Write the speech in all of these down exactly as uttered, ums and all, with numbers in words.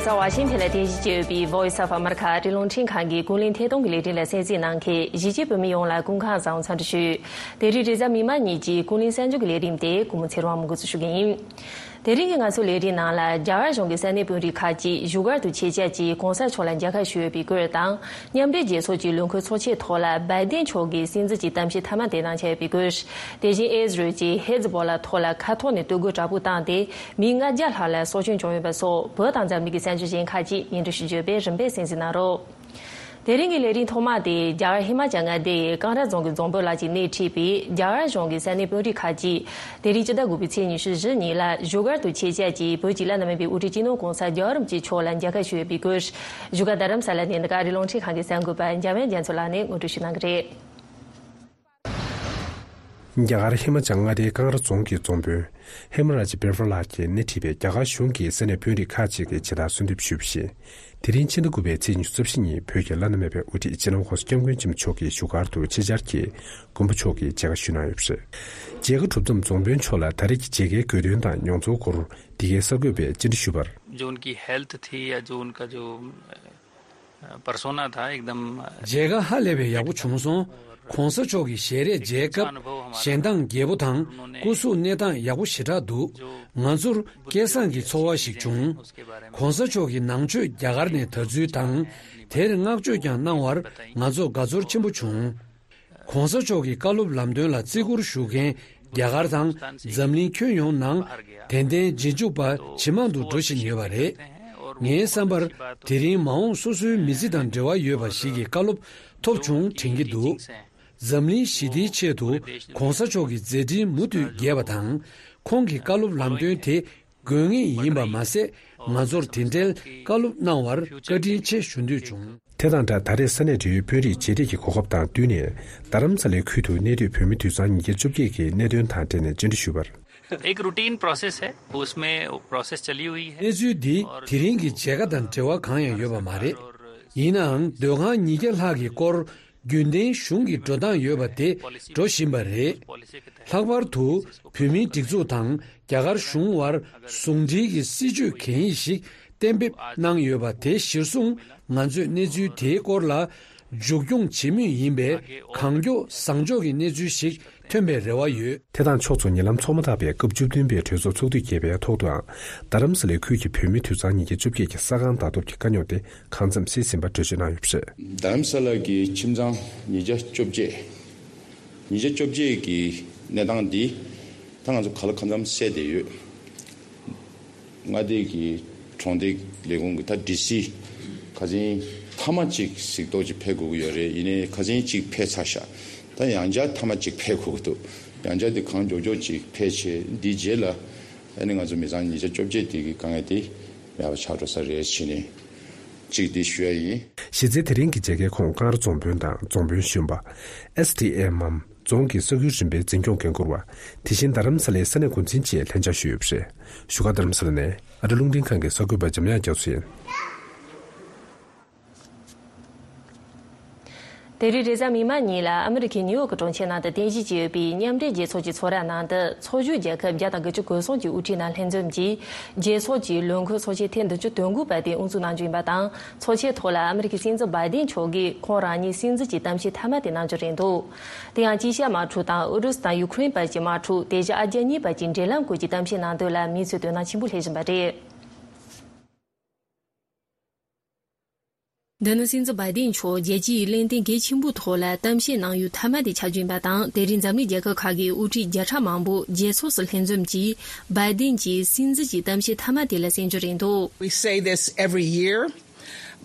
ས་ཝ་ཤིང་ཐན་ལ་རྟེན་གཞི་བྱས་ཡོད་པའི་Voice of America ཨ་རིའི་རླུང་འཕྲིན་ཁང་གི་ཀུན་གླེང་ཐད་གཏོང་གི་ལས་རིམ་ལ་གསན་གཟིགས་གནང་མཁན་གཞིས་བྱེས་བོད་མི་ཡོངས་ལ་སྐུ་ཁམས་བཟང་འཚམས་འདྲི་ཞུ། དེ་རིང་རེས་གཟའ་མིག་དམར་ཉིན་གྱི་ཀུན་གླེང་གསར་འགྱུར་གྱི་ལས་རིམ་དེ་ཀུན་མོ་ཚེ་རིང་དབང་མོ་འགོ་འཛུགས་ཞུ་གི་ཡིན། དེ་རིང་གི་ང་ཚོའི་ལས་རིམ་ནང་ལ། རྒྱ་གར་གཞུང་གི་ས་གནས་དཔོན་རིགས་ཁག་ཅིག་བཞུགས་སྒར་དུ་ཆེད་བཅར་གྱིས་གོང་ས་མཆོག་ལ་མཇལ་ཁ་ཞུས་ཡོད་པའི་སྐོར་དང་། མཉམ་འབྲེལ་རྒྱལ་ཚོགས་ཀྱི་ལས་འཁུར་ཚོགས་ཆེན་ཐོག་ལ་བའི་ཏིན་མཆོག་གིས་སྲིད་འཛིན་གྱི་གཏམ་བཤད་མཐའ་མ་དེ་གནང་འཆར་ཡོད་པའི་སྐོར། དེ་བཞིན་ཨེ་ཟི་རལ་གྱིས་ཧེ་ཛི་བོ་ལ་ཐོག་ལ་མཁའ་ཐོག་ནས་གཏོར་རྒོལ་དྲག་པོ་བཏང་སྟེ་མི་ལྔ་བརྒྱ་ལྷག་ལ་སྲོག་སྐྱོན་བྱུང་ཡོད་པ་སོགས་བོད་དང་འཛམ་གླིང་གི་གསར་འགྱུར་གཞན་ཁག་ཅིག་སྙན་སྒྲོན་ཞུ་རྒྱུ་ཡོད་པས་རིམ་པས་གསན་གཟིགས་གནང་རོགས། དེ་རིང་གི་ལས་རིམ་ཐོག་མ་དེ་རྒྱ་གར་ཧི་མ་ཅལ་མངའ་སྡེ་ཡི་ཀང་ར་རྫོང་གི་རྫོང་དཔོན་ལགས་ཀྱིས་སྣེ་ཁྲིད་པའི་རྒྱ་གར་གཞུང་གི་ས་གནས་དཔོན་རིགས་ཁག་ཅིག་དེ་རིང་སྤྱི་ཟླ་དགུ་པའི་ཚེས་ཉི་ཤུ་བཞི་ཉིན་ལ་བཞུགས་སྒར་དུ་ཆེད་བཅར་གྱིས་བོད་ཀྱི་བླ་ན་མེད་པའི་དབུ་ཁྲིད་སྤྱི་ནོར་༸གོང་ས་༸རྒྱལ་བ་རིན་པོ་ཆེ་མཆོག་ལ་མཇལ་ཁ་ཞུས་ཡོད་པའི་སྐོར། བཞུགས་སྒར་རྡ་རམ་ས་ལ་ནས་འདི་ག་ཨ་རིའི་རླུང་འཕྲིན་ཁང་གི་གསར་འགོད་པ་འཇམ་དབྱངས་རྒྱ་མཚོ་ལགས་ནས་ངོ་སྤྲོད་ཞུ་གནང་གི་རེད། རྒྱ་གར་ཧི་མ་ཅལ་མངའ་སྡེའི་ཀང་ར་རྫོང་གི་རྫོང་དཔོན་ཧེ་མ་ར་ཇི་བེ་ཧྲ་ལགས་ཀྱིས་སྣེ་ཁྲིད་པའི་རྒྱ་གར་གཞུང་གི་ས་གནས་དཔོན་རིགས་ཁག་ཅིག་གིས་ཇི་ལྟར་གསོལ་འདེབས་ཞུས་པ་བཞིན། དེ་རིང་ཕྱི་ཟླ་དགུ་པའི་ཚེས་ཉི་ཤུ་རྩ་བཞི་ཉིན་བོད་ཀྱི་བླ་ན་མེད་པའི་དབུ་ཁྲིད་སྤྱི་ནོར་༸གོང་ས་༸སྐྱབས་མགོན་ཆེན་པོ་མཆོག་གིས་བཞུགས་སྒར་དུ་ཆེད་བཅར་གྱིས་མགོན་པོ་མཆོག་གི་མཇལ་ཁ་ཞུས་གནང་ཡོད་པ་རེད། མཇལ་ཁ་གྲུབ་མཚམས་རྫོང་དཔོན་མཆོག་ལ་ད་རེས་ཀྱི་མཇལ་ཁའི་དགོས་དོན་དང་མྱོང་ཚོར་སྐོར་འདི་གའི་གསར་འགོད་པས་བཅར་འདྲི་ཞུས་པར། जो उनकी हेल्थ थी या जो उनका जो पर्सोना था, एकदम। མཇལ་ཁ་ཧ་ལས་པའི་ཡག་པོ་བྱུང་སོང་། ༸གོང་ས་མཆོག་གི་ཞལ་རས་མཇལ་སྐབས་ཞལ་མདངས་རྒྱས་པོ་དང་སྐུ་གཟུགས་གནས་སྟངས་ཡག་པོ་ཞེ་དྲག་འདུག་ང་ཚོར་སྐལ་བཟང་གི་ཚོར་བ་ཞིག་བྱུང་།༸གོང་ས་མཆོག་གིས་ནང་ཆོས་རྒྱ་གར་ནས་དར་ཚུལ་དང་། དེར་བསྔགས་བརྗོད་ཀྱང་གནང་བར་ང་ཚོ་དགའ་ཚོར་ཆེན་པོ་བྱུང་། ༸གོང་ས་མཆོག་གི་བཀའ་སློབ་ལམ་སྟོན་ལ་བརྩི་བཀུར་ཞུ་མཁན་རྒྱ་གར་དང་འཛམ་གླིང་ཁྱོན་ཡོངས་ནང་ཏན་ཏན་རྗེས་འཇུག་པ་ཇེ་མང་དུ་འགྲོ་བཞིན་ཡོད་པ་རེད། ངའི་བསམ་པར་དེ་རིང་མ་འོངས་སོ་སོའི་མི་ཚེ་དང་འབྲེལ་བ་ཡོད་པ་ཞིག་གི་བཀའ་སློབ་ཐོབ་བྱུང་དྲན་གྱི་འདུག་འཛམ་གླིང་ཞི་བདེའི་ཆེད་དུ་༸གོང་ས་མཆོག་གི་མཛད་འཕྲིན་མུ་མཐུད་རྒྱས་པ་དང་། ཁོང་གི་བཀའ་སློབ་ལམ་སྟོན་དེ་དགོས་ངེས་ཡིན་པ་མ་ཟད། ང་ཚོར་དེ་འབྲེལ་བཀའ་སློབ་གནང་བར་བཀའ་དྲིན་ཆེ་ཞུ་འདོད་བྱུང་། དེ་དང་སྦྲགས། ད་རེས་ས་གནས་འབྲེལ་ཡོད་དཔོན་རིགས་མཇལ་འཕྲད་ཀྱི་གོ་སྐབས་དང་བསྟུན་ནས། རྡ་རམ་ས་ལའི་ཁུལ་དུ་གནས་སྡོད་བོད་མི་དུད་ཚང་ཉིས་བརྒྱ་བཅོ་བརྒྱད་ཀྱི་གནད་དོན་དང་འབྲེལ་ནས་བཅར་འདྲི་ཞུས་པར། एक रूटीन प्रोसेस है, उसमें प्रोसेस चली हुई है। གནས་ཚུལ་འདི་དེ་རིང་གི་མཇལ་ཁ་དང་འབྲེལ་བ་གང་ཡང་ཡོད་པ་མ་རེད། ཡིན་ནའང་སྡོད་ཁང་ཉིས་བརྒྱ་ལྷག་གི་སྐོར་རྒྱུན་ལྡན་གཞུང་གི་འགྲོ་སྟངས་ཡོད་པ་དེ་འགྲོ་བཞིན་པ་རེད། ལྷག་པར་དུ་བོད་མིའི་སྒྲིག་འཛུགས་དང་རྒྱ་གར་གཞུང་དབར་ཟུང་འབྲེལ་གྱི་སྲིད་ཇུས་གང་ཡིན་ཞིག་གཏན་འབེབས་གནང་ཡོད་པ་དེ་གཞིར་བཟུང་། ང་ཚོས་གནས་ཚུལ་དེའི་སྐོར་ལ་མཇུག་སྐྱོང་བྱེད་མུས་ཡིན་པས། གང་མགྱོགས་བཟང་ཕྱོགས་ཀྱི་གནས་ཚུལ་ཞིག་ཐོན་པའི་རེ་བ་ཡོད། དེ་དང་ཕྱོགས་མཚུངས། ཉེ་ལམ་འཚོགས་མ་ཐག་པའི་སྐབས་བཅུ་བདུན་པའི་གྲོས་ཚོགས་ཚོགས་དུས་བརྒྱད་པའི་ཐོག་ཏུའང་། རྡ་རམ་ས་ལའི་ཁུལ་གྱི་བོད་མི་དུད་ཚང་ཉིས་བརྒྱ་བཅོ་བརྒྱད་ཀྱི་ས་ཁང་ལྟ་རྟོག་གི་དཀའ་རྙོག་དེ་གང་འཚམ་སེལ་ཟིན་པ་འགྲེལ་བརྗོད་གནང་ཡོད་པ་རེད། རྡ་རམ་ས་ལ་གི་ཁྱིམ་ཚང་ཉིས་བརྒྱ་བཅོ་བརྒྱད། ཉིས་བརྒྱ་བཅོ་བརྒྱད་ཀྱི་གནས་སྟངས་འདི་ད་ང་ཚོ་ག་ལ་གང་འཚམ་སེལ་བསྡད་ཡོད། མངའ་སྡེ་གི་གྲོང་སྡེ་ལས་ཁུངས་ཀྱི་ད་ཌི་སི་ཁ་སང་མཐའ་མ་གཅིག་གཟིགས་རྟོག་ཅིག་ཕེབས་དགོས་ཀྱི་ཡོད་རེད། ཡིན་ནའི་ཁ་སང་གཅིག་ཕེབས་ཚར་ཤག་ད་ཡང་བསྐྱར་མཐའ་མ་གཅིག་ཕེབས་དགོས་ཀྱི་འདུག་ཡང་བསྐྱར་དེ་གང་མགྱོགས་མགྱོགས་ཅིག་ཕེབས་བྱས། འདིའི་རྗེས་ལ་ཨ་ནི་ང་ཚོ་མི་ཚང་ཉིས་བརྒྱ་བཅོ་བརྒྱད་དེ་གི་དཀའ་ངལ་དེ་མེད་པ་ཆགས་འགྲོ་ས་རེད་བྱས་ནས་གཅིག་འདི་ཞུ་ཡ་ཡིན། གཞི་རྩའི་དེ་རིང་གི་མཇལ་ཁའི་ཁོངས་ཀང་ར་རྫོང་དཔོན་དང་རྫོང་དཔོན་གཞོན་པ། ཨེས་ཌི་ཨེམ་མམ། རྫོང་གི་ས་ཁུལ་རིམ་པའི་འཛིན་སྐྱོང་འགན་འཁུར་བ། དེ་བཞིན་རྡ་རམ་ས་ལའི་ས་གནས་འགོ་འཛིན་བཅས་ལྷན་བཅར་ཞུས་ཡོད་པ་རེད། བཞུགས་སྒར་རྡ་རམ་ས་ལ་ནས་ཨ་རི་རླུང་འཕྲིན་ཁང་གི་གསར་འགོད་པ་འཇམ་དབྱངས་རྒྱ་མཚོ་ཡིན། དེ་རིང་རེས་གཟའ་མིག་དམར་ཉིན་ལ་ཨ་མི་རི་ཁའི་ནིའུ་ཡོག་གི་གྲོང་ཁྱེར་ནང་དུ་རྟེན་གཞི་བྱས་ཡོད་པའི་མཉམ་འབྲེལ་རྒྱལ་ཚོགས་ཀྱི་ཚོགས་ར་ནང་དུ། ཚོགས་ཞུགས་རྒྱལ་ཁབ་བརྒྱ་དང་དགུ་བཅུ་གོ་གསུམ་གྱི་དབུ་ཁྲིད་རྣམས་ལྷན་འཛོམས་ཀྱིས། རྒྱལ་ཚོགས་ཀྱི་ལོ་འཁོར་ཚོགས་ཆེན་ཐེངས་བདུན་ཅུ་དོན་དགུ་པ་དེ་དབུ་འཛུགས་གནང་རྒྱུ་ཡིན་པ་དང་། ཚོགས་ཆེན་ཐོག་ལ་ཨ་མི་རི་ཁའི་སྲིད་འཛིན་བྷའི་ཏིན་མཆོག་གིས་ཁོང་རང་ཉིད་སྲིད་འཛིན་གྱི་གཏམ་བཤད་མཐའ་མ་དེ་གནང་རྒྱུ་རེད་འདུག་དེ་ཡང་དཀྱིལ་ཤར་དམག་འཁྲུག་དང་ཨུ་རུ་སུ་དང་ཡུ་ཁུ་རེན་བར་གྱི་དམག་འཁྲུག། དེ་བཞིན་ཨ་རྒྱ་གཉིས་བར་གྱི་འབྲེལ་ལམ་སྐོར་གྱི་གཏམ་བཤད་གནང་དོན་ལ་མིའི་ཚོས་དོ་སྣང་ཆེན་པོ་སླེབས་བཞིན་པ་རེད། འདི་ནི་སྲིད་འཛིན་བྷའི་ཏིན་མཆོག་རྒྱལ་སྤྱིའི་གླེང་སྟེགས་གལ་ཆེན་པོའི་ཐོག་ལ་གཏམ་བཤད་གནང་ཡུལ་མཐའ་མ་དེ་ཆགས་རྒྱུ་ཡིན་པ་དང་། དེ་རིང་འཛམ་གླིང་རྒྱལ་ཁབ་ཁག་གི་དབུ་ཁྲིད་བརྒྱ་ཕྲག་མང་པོ་རྒྱལ་ཚོགས་སུ་ལྷན་འཛོམས་ཀྱིས་བྷའི་ཏིན་གྱི་སྲིད་འཛིན་གྱི་གཏམ་བཤད་མཐའ་མ་དེ་ལ་གསན་རྒྱུ་རེད་འདུག We say this every year,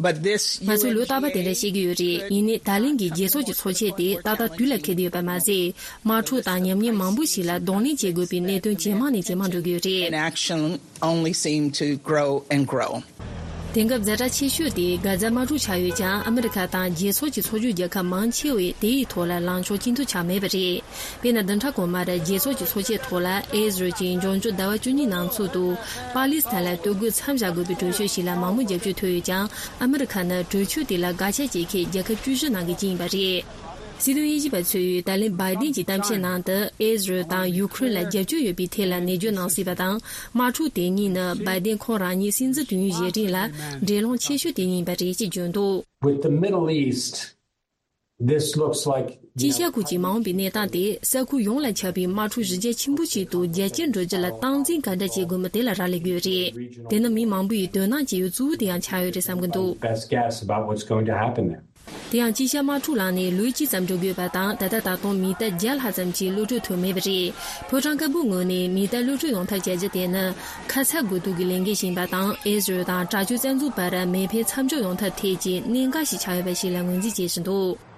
but this ང་ཚོས་ལོ་རྟག་པར་དེ་འདྲ་བཤད་ཀྱི་ཡོད་རེད། ཡིན་ནའི་ད་ལན་གྱི་རྒྱལ་ཚོགས་ཀྱི་ཚོགས་ཆེན་དེ་ཏག་ཏག་དུས་ལ་འཁེལ་བསྡད་ཡོད་པ་མ་ཟད། དམག་འཁྲུག་དང་ཉམས་ཉེས་མང་པོ་ཞིག་ལ་གདོང་ལེན་བྱེད་དགོས་པའི་གནད་དོན་ཇེ་མང་ནས་ཇེ་མང་འགྲོ་གི་ཡོད་རེད། Inaction only seem to grow and grow. དེང་སྐབས་ཛ་དྲག་ཆེ་ཤོས་དེ་གྷ་ཛ་དམག་འཁྲུག་ཆགས་ཡོད་ཀྱང་། ཨ་མི་རི་ཁ་དང་རྒྱལ་ཚོགས་ཀྱི་ཚོགས་ཞུགས་རྒྱལ་ཁབ་མང་ཆེ་བས་དེ་ཡི་ཐོག་ལ་ལངས་ཕྱོགས་གཅིག་མཐུན་ཆགས་མེད་པ་རེད། དཔེར་ན། བདུན་ཕྲག་གོང་མར་རྒྱལ་ཚོགས་ཀྱི་ཚོགས་ཆེན་ཐོག་ལ་ཨེ་ཟི་རལ་གྱིས་འབྱུང་འགྱུར་ཟླ་བ་བཅུ་གཉིས་ནང་ཚུད་དུ་པ་ལི་སི་ཐན་ལ་གཏོར་རྒོལ་མཚམས་བཞག་དགོས་པའི་གྲོས་ཆོད་ཞིག་ལ་མང་མོས་རྒྱབ་སྐྱོར་ཐོབ་ཡོད་ཀྱང་། ཨ་མི་རི་ཁ་ནི་གྲོས་ཆོད་དེ་ལ་དགག་བྱ་བྱེད་མཁན་རྒྱལ་ཁབ་བཅུ་བཞི་ནང་གི་གཅིག་ཡིན་པ་རེད། སྲིད་དོན་དབྱེ་ཞིབ་པ་ཚོས་ད་ལན་བྷའི་ཏིན་གྱི་གཏམ་བཤད་ནང་དུ་ཨེ་ཟི་རལ་དང་ཡུ་ཁུ་རེན་ལ་རྒྱབ་སྐྱོར་ཡོད་པའི་ཐད་ལ་ནན་བརྗོད་གནང་སྲིད་པ་དང་། དམག་འཁྲུག་དེ་གཉིས་ནི་བྷའི་ཏིན་ཁོང་རང་ཉིད་སྲིད་འཛིན་དུས་ཡུན་བཞེས་རིང་ལ་འབྲེལ་ལམ་ཆེ་ཤོས་དེ་ཡིན་པ་རེད་ཅེས་བརྗོད་འདུག། With the Middle East, this looks like དཀྱིལ་ཤར་ཁུལ་གྱི་མ་འོངས་པའི་གནས་སྟངས་དེ་ས་ཁུལ་ཡོངས་ལ་ཁྱབ་པའི་དམག་འཁྲུག་གཞི་རྒྱ་ཆེན་པོ་ཞིག་ཏུ་རྒྱ་སྐྱེད་འགྲོ་རྒྱུ་ལ་སྟངས་འཛིན་ག་འདྲ་བྱེད་དགོས་མིན་དེ་ལ་རག་ལས་ཀྱི་ཡོད་རེད། དེ་ནི་མི་མང་པོ་ཡིས་དོ་སྣང་བྱེད་ཡུལ་གཙོ་བོ་དེ་ཡང་ཆགས་ཡོད་རེད་བསམ་གྱི་འདུག། Best guess about what's going to happen there. དེ་ཡང་དཀྱིལ་ཤར་དམག་འཁྲུག་ལངས་ནས་ལོ་གཅིག་ཙམ་འགྲོ་དགོས་པ་དང་། ད་ལྟ་ད་དུང་མི་ཐེར་བརྒྱ་ལྷག་ཙམ་གྱིས་གློད་གྲོལ་ཐུབ་མེད་པ་རེད། ཕོ་བྲང་དཀར་པོའི་ངོས་ནས་མི་ཐེར་གློད་གྲོལ་ཡོང་ཐབས་བྱ་རྒྱུ་དེ་ནི་ཁ་ཚ་དགོས་གཏུག་གི་ལས་འགན་ཞིག་ཡིན་པ་དང་། ཨེ་ཟི་རལ་དང་དྲག་སྤྱོད་བཙན་འཛུལ་བར་མེ་འཕེན་མཚམས་འཇོག་ཡོང་ཐབས་ཐད་ཀྱི་གནད་འགག་ཞིག་ཆགས་ཡོད་པ་ཞིག་ལ་ངོས་འཛིན་བྱེད་བཞིན་འདུག།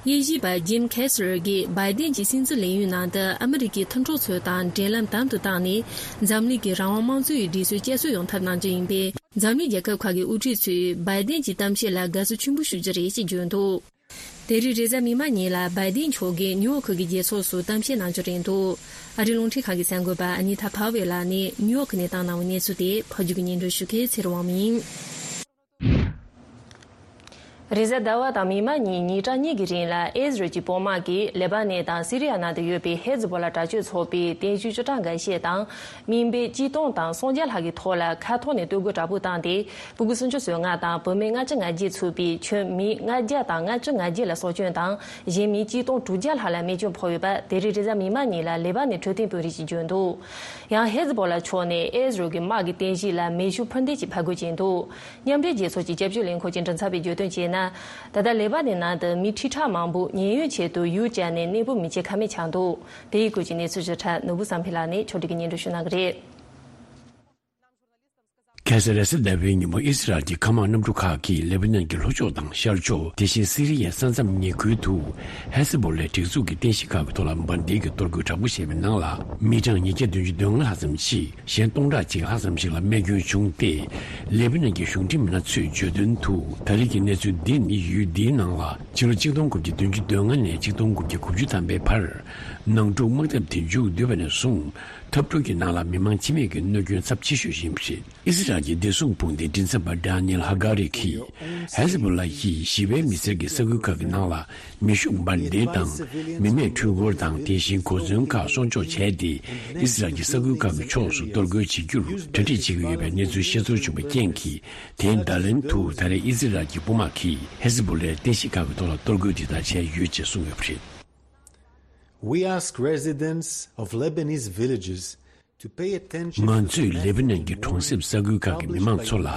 དབྱེ་ཞིབ་པ་ཇིམ་ཁེ་སི་ལར་གྱིས་བྷའི་ཏིན་གྱི་སྲིད་འཛིན་ལས་ཡུན་ནང་དུ་ཨ་མི་རི་ཀའི་མཐུན་གྲོགས་ཚོ་དང་འབྲེལ་ལམ་དམ་དུ་བཏང་ནས། འཛམ་གླིང་གི་རང་དབང་དམངས་གཙོའི་སྒྲིག་སྲོལ་བསྐྱར་གསོ་ཡོང་ཐབས་གནང་རྒྱུ་ཡིན་པས། འཛམ་གླིང་རྒྱལ་ཁབ་ཁག་གི་དབུ་ཁྲིད་ཚོས་བྷའི་ཏིན་གྱི་གཏམ་བཤད་ལ་དགའ་བསུ་ཆེན་པོ་ཞུ་རྒྱུ་རེད་ཅེས་བརྗོད་འདུག། དེ་རིང་རེས་གཟའ་མིག་དམར་ཉིན་ལ་བྷའི་ཏིན་མཆོག་གིས་ནིའུ་ཡོག་གི་རྒྱལ་ཚོགས་སུ་གཏམ་བཤད་གནང་རྒྱུ་རེད་འདུག། ཨ་རིའི་རླུང་འཕྲིན་ཁང་གི་གསར་འགོད་པ་ཨ་ནི་ཐ་ཕ་ཝེ་ལགས་ནས་ནིའུ་ཡོག་གི་གནས་སྟངས་གནང་བའི་གནས་ཚུལ་དེ་ཕབ་སྒྱུར་གྱིས་སྙན་སྒྲོན་ཞུ་མཁན་ཚེ་རིང་དབང་མོ་ཡིན། རེས་གཟའ་ཟླ་བ་དང་མིག་དམར་ཉིན་ཉིན་གྲངས་གཉིས་ཀྱི་རིང་ལ་ཨེ་ཟི་རལ་གྱི་དཔུང་དམག་གིས་ལེ་པ་ནན་དང་སི་རི་ཡ་ནང་དུ་ཡོད་པའི་ཧེ་ཛི་བྷོ་ལ་དྲག་སྤྱོད་ཚོགས་པའི་རྟེན་གཞི་ཅུང་ཀྲང་འགའ་ཤས་དང་། མི་དཔེ་གཅིག་སྟོང་དང་སུམ་བརྒྱ་ལྷག་གི་ཐོག་ལ་མཁའ་ཐོག་ནས་གཏོར་རྒོལ་དྲག་པོ་བཏང་སྟེ། སྤུ་གུ་སུམ་ཅུ་སོ་ལྔ་དང་བུད་མེད་ལྔ་བཅུ་ང་བརྒྱད་ཚུད་པའི་ཁྱོན་མི་ལྔ་བརྒྱ་དང་ལྔ་བཅུ་ང་བརྒྱད་ལ་སྲོག་སྐྱོན་དང་། གཞན་མི་གཅིག་སྟོང་དྲུག་བརྒྱ་ལྷག་ལ་རྨས་སྐྱོན་ཕོག་ཡོད་པ་དེ་རིང་རེས་གཟའ་མིག་དམར་ཉིན་ལ་ལེ་པ་ནན་འཕྲོད་བསྟེན་དཔོན་རིགས་ཀྱིས་བརྗོད་འདུག། ཡང་ཧེ་ཛི་བྷོ་ལ་ཕྱོགས་ནས་ཨེ་ཟི་རལ་གྱི་དམག་གི་རྟེན་གཞི་ལ་མེ་ཤུགས་འཕུར་མདེལ་ཅིག་ཕར་རྒོལ་བྱས་འདུག། མཉམ་འབྲེལ་རྒྱལ་ཚོགས་ཀྱི་སྐྱབས་བཅོལ་ལས་འཁོར་གྱི་མགྲིན་ཚབ་པས་བརྗོད་དོན་བྱས་ན། ད་ལྟ་ལེ་པ་ནན་ནང་དུ་མི་ཁྲི་ཕྲག་མང་པོ་ཉེན་གཡོལ་ཆེད་དུ་ཡུལ་བཅག་ནས་གནས་སྤོ་མི་བྱེད་ཀ་མེད་ཆགས་འདུག། དེའི་སྐོར་གྱི་གནས་ཚུལ་ཞིབ་ཕྲ་ནོར་བུ་བསམ་འཕེལ་ལགས་ནས་ཕྱོགས་སྒྲིག་གིས་སྙན་སྒྲོན་ཞུ་གནང་གི་རེད། ཁ་སང་རེས་གཟའ་ཟླ་བའི་ཉིན་མོ་ཨི་སི་རལ་གྱི་མཁའ་དམག་གནམ་གྲུ་ཁག་གིས་ལེ་བྷ་ནན་གྱི་ལྷོ་ཕྱོགས་དང་ཤར་ཕྱོགས། དེ་བཞིན་སི་རི་ཡའི་ས་མཚམས་ཉེ་ཁུལ་དུ་ཧེ་ཛི་བྷོ་ལའི་སྒྲིག་འཛུགས་ཀྱི་རྟེན་གཞི་ཁག་གི་ཐོག་ལ་འབར་མདེལ་གྱི་གཏོར་རྒོལ་དྲག་པོ་བྱས་པའི་ནང་ལ་མི་གྲངས་ཉིས་བརྒྱ་བདུན་ཅུ་དོན་ལྔ་ལྷག་ཙམ་ཞིག་གཞན་སྟོང་ཕྲག་གཅིག་ལྷག་ཙམ་ཞིག་ལ་རྨས་སྐྱོན་བྱུང་སྟེ། ལེ་བྷ་ནན་གྱི་གཞུང་འབྲེལ་མི་སྣ་ཚོས་བརྗོད་དོན་དུ། ད་རེས་ཀྱི་གནས་ཚུལ་འདི་ནི་ཡུལ་འདིའི་ནང་ལ་ཕྱི་ལོ་ཆིག་སྟོང་དགུ་བརྒྱ་བདུན་ཅུ་དོན་ལྔ་ནས་ཆིག་སྟོང་དགུ་བརྒྱ་དགུ་བཅུ་ཐམ་པའི་བར་ནང་འཁྲུག་དམག་འཐབ་དེ་མཇུག་བསྡུས་པ་ནས་བཟུང་འཐབ་འཁྲུག་གི་ནང་ལ་མི་མང་འཆི་རྨས་ཀྱི་གནོད་སྐྱོན་ཚབས་ཆེ་ཤོས་ཡིན་པ་རེད། ཨི་སི་རལ་གྱི་བདེ་སྲུང་དཔུང་སྡེའི་མགྲིན་ཚབ་པ་ཌ་ནིལ་ཧ་ག་རི་གིས། ཧེ་ཟི་བྷོ་ལ་ཡིས་ཞི་བའི་མི་སེར་གྱི་ས་ཁུལ་ཁག་གི་ནང་ལ་མེ་ཤུགས་འབར་མདེལ་དང་མི་མེད་འཕྲུལ་འཁོར་དང་། དེ་བཞིན་གོ་མཚོན་ཁག་སྲུང་སྐྱོབ་བྱས་ཏེ། ཨི་སི་རལ་གྱི་ས་ཁུལ་ཁག་གི་ཕྱོགས་སུ་གཏོར་རྒོལ་བྱེད་རྒྱུར་གྲ་སྒྲིག་བྱེད་ཀྱི་ཡོད་པའི་གནས་ཚུལ་ཤེས་ཚོར་བྱུང་བའི་རྐྱེན་གྱིས། དེའི་བརྡ་ལན་དུ་ད་རེས་ཨི་སི་རལ་གྱི་དཔུང་དམག་གིས་ཧེ་ཟི་བྷོ་ལའི་རྟེན་གཞི་ཁག་གི་ཐོག་ལ་གཏོར་རྒོལ་འདི་དག་བྱས་ཡོད་ཅེས་གསུངས་ཡོད་པ་རེད། We ask residents of Lebanese villages to pay attention to the ང་ཚོས་ལེ་བྷ་ནན་གྱི་གྲོང་གསེབ་ས་ཁུལ་ཁག་གི་མི་མང་ཚོ་ལ།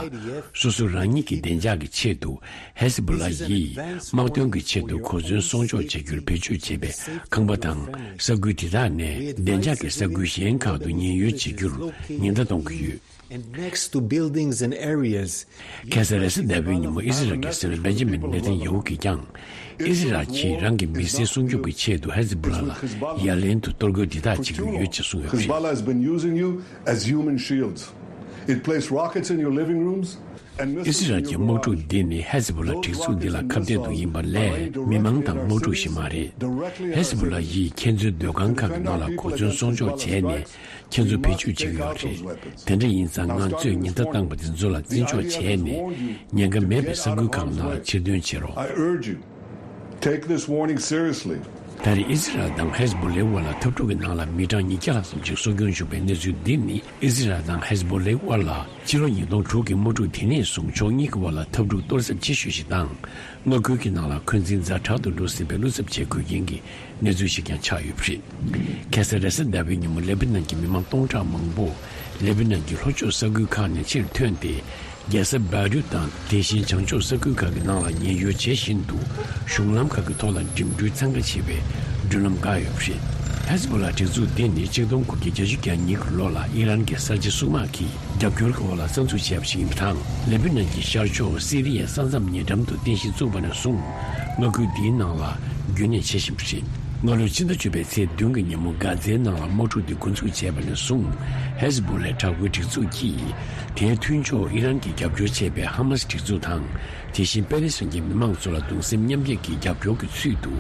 སོ་སོ་རང་ཉིད་ཀྱི་བདེ་འཇགས་ཀྱི་ཆེད་དུ། ཧེ་ཟི་བྷོ་ལ་ཡིས་དམག་དོན་གྱི་ཆེད་དུ་གོ་མཚོན་སྲུང་སྐྱོབ་བྱ་རྒྱུར་བེད་སྤྱོད་བྱེད་པའི་ཁང་པ་དང་ས་ཁུལ་དེ་དག་ནས་བདེ་འཇགས་ཀྱི་ས་ཁུལ་གཞན་ཁག་ཏུ་ཉེན་གཡོལ་བྱེད་རྒྱུར་ཉེན་བརྡ་གཏོང་གི་ཡོད། And next to buildings and areas ཁ་སང་རེས་གཟའ་ཟླ་བའི་ཉིན་མོ་ཨི་སི་རལ་གྱི་སྲིད་བློན་བེན་ཇི་མིན་ནེ་ཐན་ཡ་ཧུ་གིས་ཀྱང་། ཨི་སི་རལ་གྱིས་རང་གི་མི་སེར་སྲུང་སྐྱོབ་ཀྱི་ཆེད་དུ་ཧེ་ཟི་བྷོ་ལ་ལ་ཡ་ལན་དུ་གཏོར་རྒོལ་འདི་དག་བྱེད་ཀྱི་ཡོད་ཅེས་གསུངས་ཡོད་པ་རེད། Hezbollah has been using you as human shields. It placed rockets in your living rooms and ཨི་སི་རལ་གྱི་དམག་འཁྲུག་འདི་ནི་ཧེ་ཟི་བྷོ་ལ་སྒྲིག་འཛུགས་འདི་ལ་ཁ་གཏད་དུ་ཡིན་པ་ལས་མི་མང་དང་དམག་འཁྲུག་ཞིག་མ་རེད། ཧེ་ཟི་བྷོ་ལ་ཡིས་ཁྱེད་ཚོའི་སྡོད་ཁང་ཁག་གི་ནང་ལ་གོ་མཚོན་སྲུང་སྐྱོབ་བྱས་ནས། ཁྱེད་ཚོ་བེད་སྤྱོད་བྱེད་ཀྱི་ཡོད་རེད། དེ་འདྲ་ཡིན་ཙང་ང་ཚོས་ཉེན་བརྡ་བཏང་པ་དེ་ཚོ་ལ་བརྩི་འཇོག་བྱས་ནས་ཉེན་ཁ་མེད་པའི་ས་ཁུལ་ཁག་ནང་ལ་ཕྱིར་ཐོན་བྱེད་རོགས། I urge you, take this warning seriously. ད་རེས་ཨི་སི་རལ་དང་ཧེ་ཟི་བྷོ་ལའི་དབར་ལ་འཐབ་འཁྲུག་གི་ནང་ལ་མི་གྲངས་ཉིས་བརྒྱ་ལྷག་ཙམ་ཞིག་སྲོག་སྐྱོན་བྱུང་བའི་གནས་ཚུལ་འདི་ནི་ཨི་སི་རལ་དང་ཧེ་ཟི་བྷོ་ལའི་དབར་ལ་ཕྱི་ལོ་ཉིས་སྟོང་དྲུག་གི་དམག་འཁྲུག་དེ་ནས་བཟུང་ཕྱོགས་གཉིས་ཀྱི་དབར་ལ་འཐབ་འཁྲུག་གཏོར་ཚད་ཆེ་ཤོས་ཤིག་དང་། མངའ་ཁུལ་གྱི་ནང་ལ་འཁོན་འཛིན་ཛ་དྲག་ཏུ་འགྲོ་སྲིད་པའི་བློ་འཚབ་བྱེད་དགོས་རྐྱེན་གྱི་གནས་ཚུལ་ཞིག་ཀྱང་ཆགས་ཡོད་པ་རེད། ཁ་སང་རེས་གཟའ་ཟླ་བའི་ཉིན་མོ་ལེ་བྷ་ནན་གྱི་མི་མང་སྟོང་ཕྲག་མང་པོ་ལེ་བྷ་ནན་གྱི་ལྷོ་ཕྱོགས་ས་ཁུལ་ཁག་ནས་ཕྱིར་ཐོན་ཏེ། རྒྱལ་ས་བེ་རུད་དང་དེ་བཞིན་བྱང་ཕྱོགས་ས་ཁུལ་ཁག་གི་ནང་ལ་ཉེན་གཡོལ་བྱེད་བཞིན་དུ་གཞུང་ལམ་ཁག་གི་ཐོག་ལ་འགྲིམ་འགྲུལ་འཚང་ཁ་ཆེ་བའི་མདུན་ལམ་བཀག་ཡོད་པ་རེད། ཧེ་ཟི་བྷོ་ལ་སྒྲིག་འཛུགས་འདི་ནི་ཆིག་སྟོང་དགུ་བརྒྱ་གྱ་གཉིས་ཀྱི་ལོ་ལ་ཨི་རན་གྱི་གསར་བརྗེ་སྲུང་དམག་གིས་རྒྱབ་སྐྱོར་གྱི་འོག་ལ་གསར་འཛུགས་བྱས་པ་ཞིག་ཡིན་པ་དང་། ལེ་བྷ་ནན་གྱི་ཤར་ཕྱོགས་སི་རི་ཡའི་ས་མཚམས་ཉེ་འགྲམ་དུ་རྟེན་གཞི་བཙུགས་པ་ནས་བཟུང་མངའ་ཁུལ་འདིའི་ནང་ལ་རྒྱུན་གནས་བྱེད་བཞིན་པ་རེད། སྔ་ལོའི་ཕྱི་ཟླ་བཅུ་པའི་ཚེས་བདུན་གྱི་ཉིན་མོ་གྷ་ཛའི་ནང་ལ་དམག་འཁྲུག་འདི་འགོ་འཛུགས་བྱས་པ་ནས་བཟུང་ཧེ་ཟི་བྷོ་ལའི་དྲག་པོའི་སྒྲིག་འཛུགས་ཀྱིས་དེའི་མཐུན་ཕྱོགས་ཨི་རན་གྱིས་རྒྱབ་སྐྱོར་བྱས་པའི་ཧ་མ་སི་སྒྲིག་འཛུགས་དང་། དེ་བཞིན་པེ་ལེ་སི་ཐན་གྱི་མི་མང་ཚོ་ལ་གདུང་སེམས་མཉམ་སྐྱེད་ཀྱི་རྒྱབ་སྐྱོར་གྱི་ཚུལ་དུ་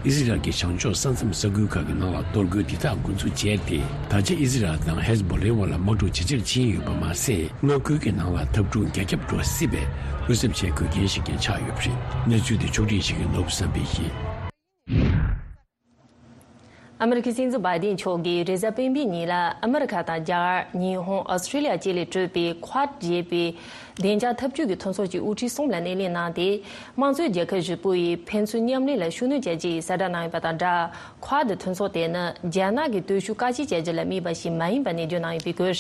ཨི་སི་རལ་གྱི་བྱང་ཕྱོགས་ས་མཚམས་ས་ཁུལ་ཁག་གི་ནང་ལ་གཏོར་རྒོལ་འདི་དག་འགོ་འཛུགས་བྱས་ཏེ། ད་ཆ་ཨི་སི་རལ་དང་ཧེ་ཟི་བྷོ་ལའི་དབར་ལ་དམག་འཁྲུག་ཇེ་ཆེར་ཕྱིན་ཡོད་པ་མ་ཟད། མངའ་ཁུལ་གྱི་ནང་ལ་འཐབ་འཁྲུག་རྒྱ་ཁྱབ་འགྲོ་སྲིད་པའི་བློ་འཚབ་བྱེད་དགོས་རྐྱེན་ཞིག་ཀྱང་ཆགས་ཡོད་པ་རེད། གནས་ཚུལ་དེ་ཕྱོགས་སྒྲིག་བྱེད་མཁན་ནོར་བུ་བསམ་འཕེལ་ཡིན། ཨ་མི་རི་ཀའི་སྲིད་འཛིན་བྷའི་ཌེན་མཆོག་གིས་རེས་གཟའ་སྤེན་པའི་ཉིན་ལ་ཨ་མི་རི་ཁ་དང་རྒྱ་གར། ཉི་ཧོང་། ཨོ་སི་ཀྲི་ལི་ཡ་བཅས་ལས་གྲུབ་པའི་ཁོ་ཌ་ཞེས་པའི་བདེ་འཇགས་འཐབ་ཇུས་ཀྱི་མཐུན་ཚོགས་ཀྱི་དབུ་ཁྲིད་གསུམ་ལ་སྣེ་ལེན་གནང་སྟེ། དམངས་གཙོའི་རྒྱལ་ཁབ་བཞི་པོ་ཡིས་ཕན་ཚུན་མཉམ་ལས་ལ་ཤུགས་སྣོན་བྱ་རྒྱུ་ཡི་གསལ་བསྒྲགས་གནང་ཡོད་པ་དང་སྦྲགས། ཁོ་ཌ་མཐུན་ཚོགས་དེ་ནི་རྒྱ་ནག་གི་སྟོབས་ཤུགས་བཀག་སྐྱིལ་བྱ་རྒྱུ་ལ་དམིགས་པ་ཞིག་མ་ཡིན་པ་ནན་བརྗོད་གནང་ཡོད་པའི་སྐོར།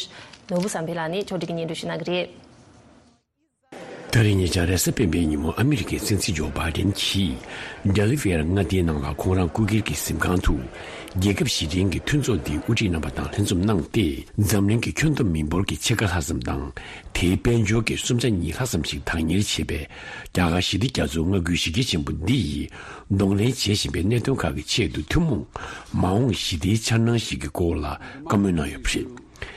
ནོར་བུ་བསམ་འཕེལ་ལགས་ནས་ཕྱོགས་སྒྲིག་གིས་སྙན་སྒྲོན་ཞུ་གནང་གི་རེད། ད་རེས་ཉེ་ཆར་རེས་གཟའ་སྤེན་པའི་ཉིན་མོ་ཨ་མི་རི་ཀའི་སྲིད་འཛིན་ཇོ་བྷའི་ཌེན་གྱིས་ཌེ་ལི་ཝེར་མངའ་སྡེའི་ནང་ལ་ཁོང་རང་སྐུ་སྒེར་གྱི་གཟིམ་ཁང་དུ། རྒྱལ་ཁབ་བཞི་ལྡན་གྱི་མཐུན་ཚོགས་འདིའི་དབུ་ཁྲིད་རྣམ་པ་དང་ལྷན་འཛོམས་གནང་སྟེ། འཛམ་གླིང་གི་ཁྱོན་བསྡོམས་མི་འབོར་གྱི་ཕྱེད་ཀ་ལྷག་ཙམ་དང་། དེའི་དཔལ་འབྱོར་གྱི་གསུམ་ཆ་གཉིས་ལྷག་ཙམ་ཞིག་བདག་གཉེར་བྱེད་པའི་རྒྱ་གར་ཞི་བདེ་རྒྱ་མཚོའི་མངའ་ཁུལ་གཞི་རྒྱ་ཆེན་པོ་འདི་ཡིས་གདོང་ལེན་བྱེད་བཞིན་པའི་གནད་དོན་ཁག་གི་ཆེད་དུ་ཐུན་མོང་མ་འོངས་ཞི་བདེའི་འཆར་སྣང་ཞིག་གི་སྐོར་ལ་བཀའ་མོལ་གནང་ཡོད་པ་རེད།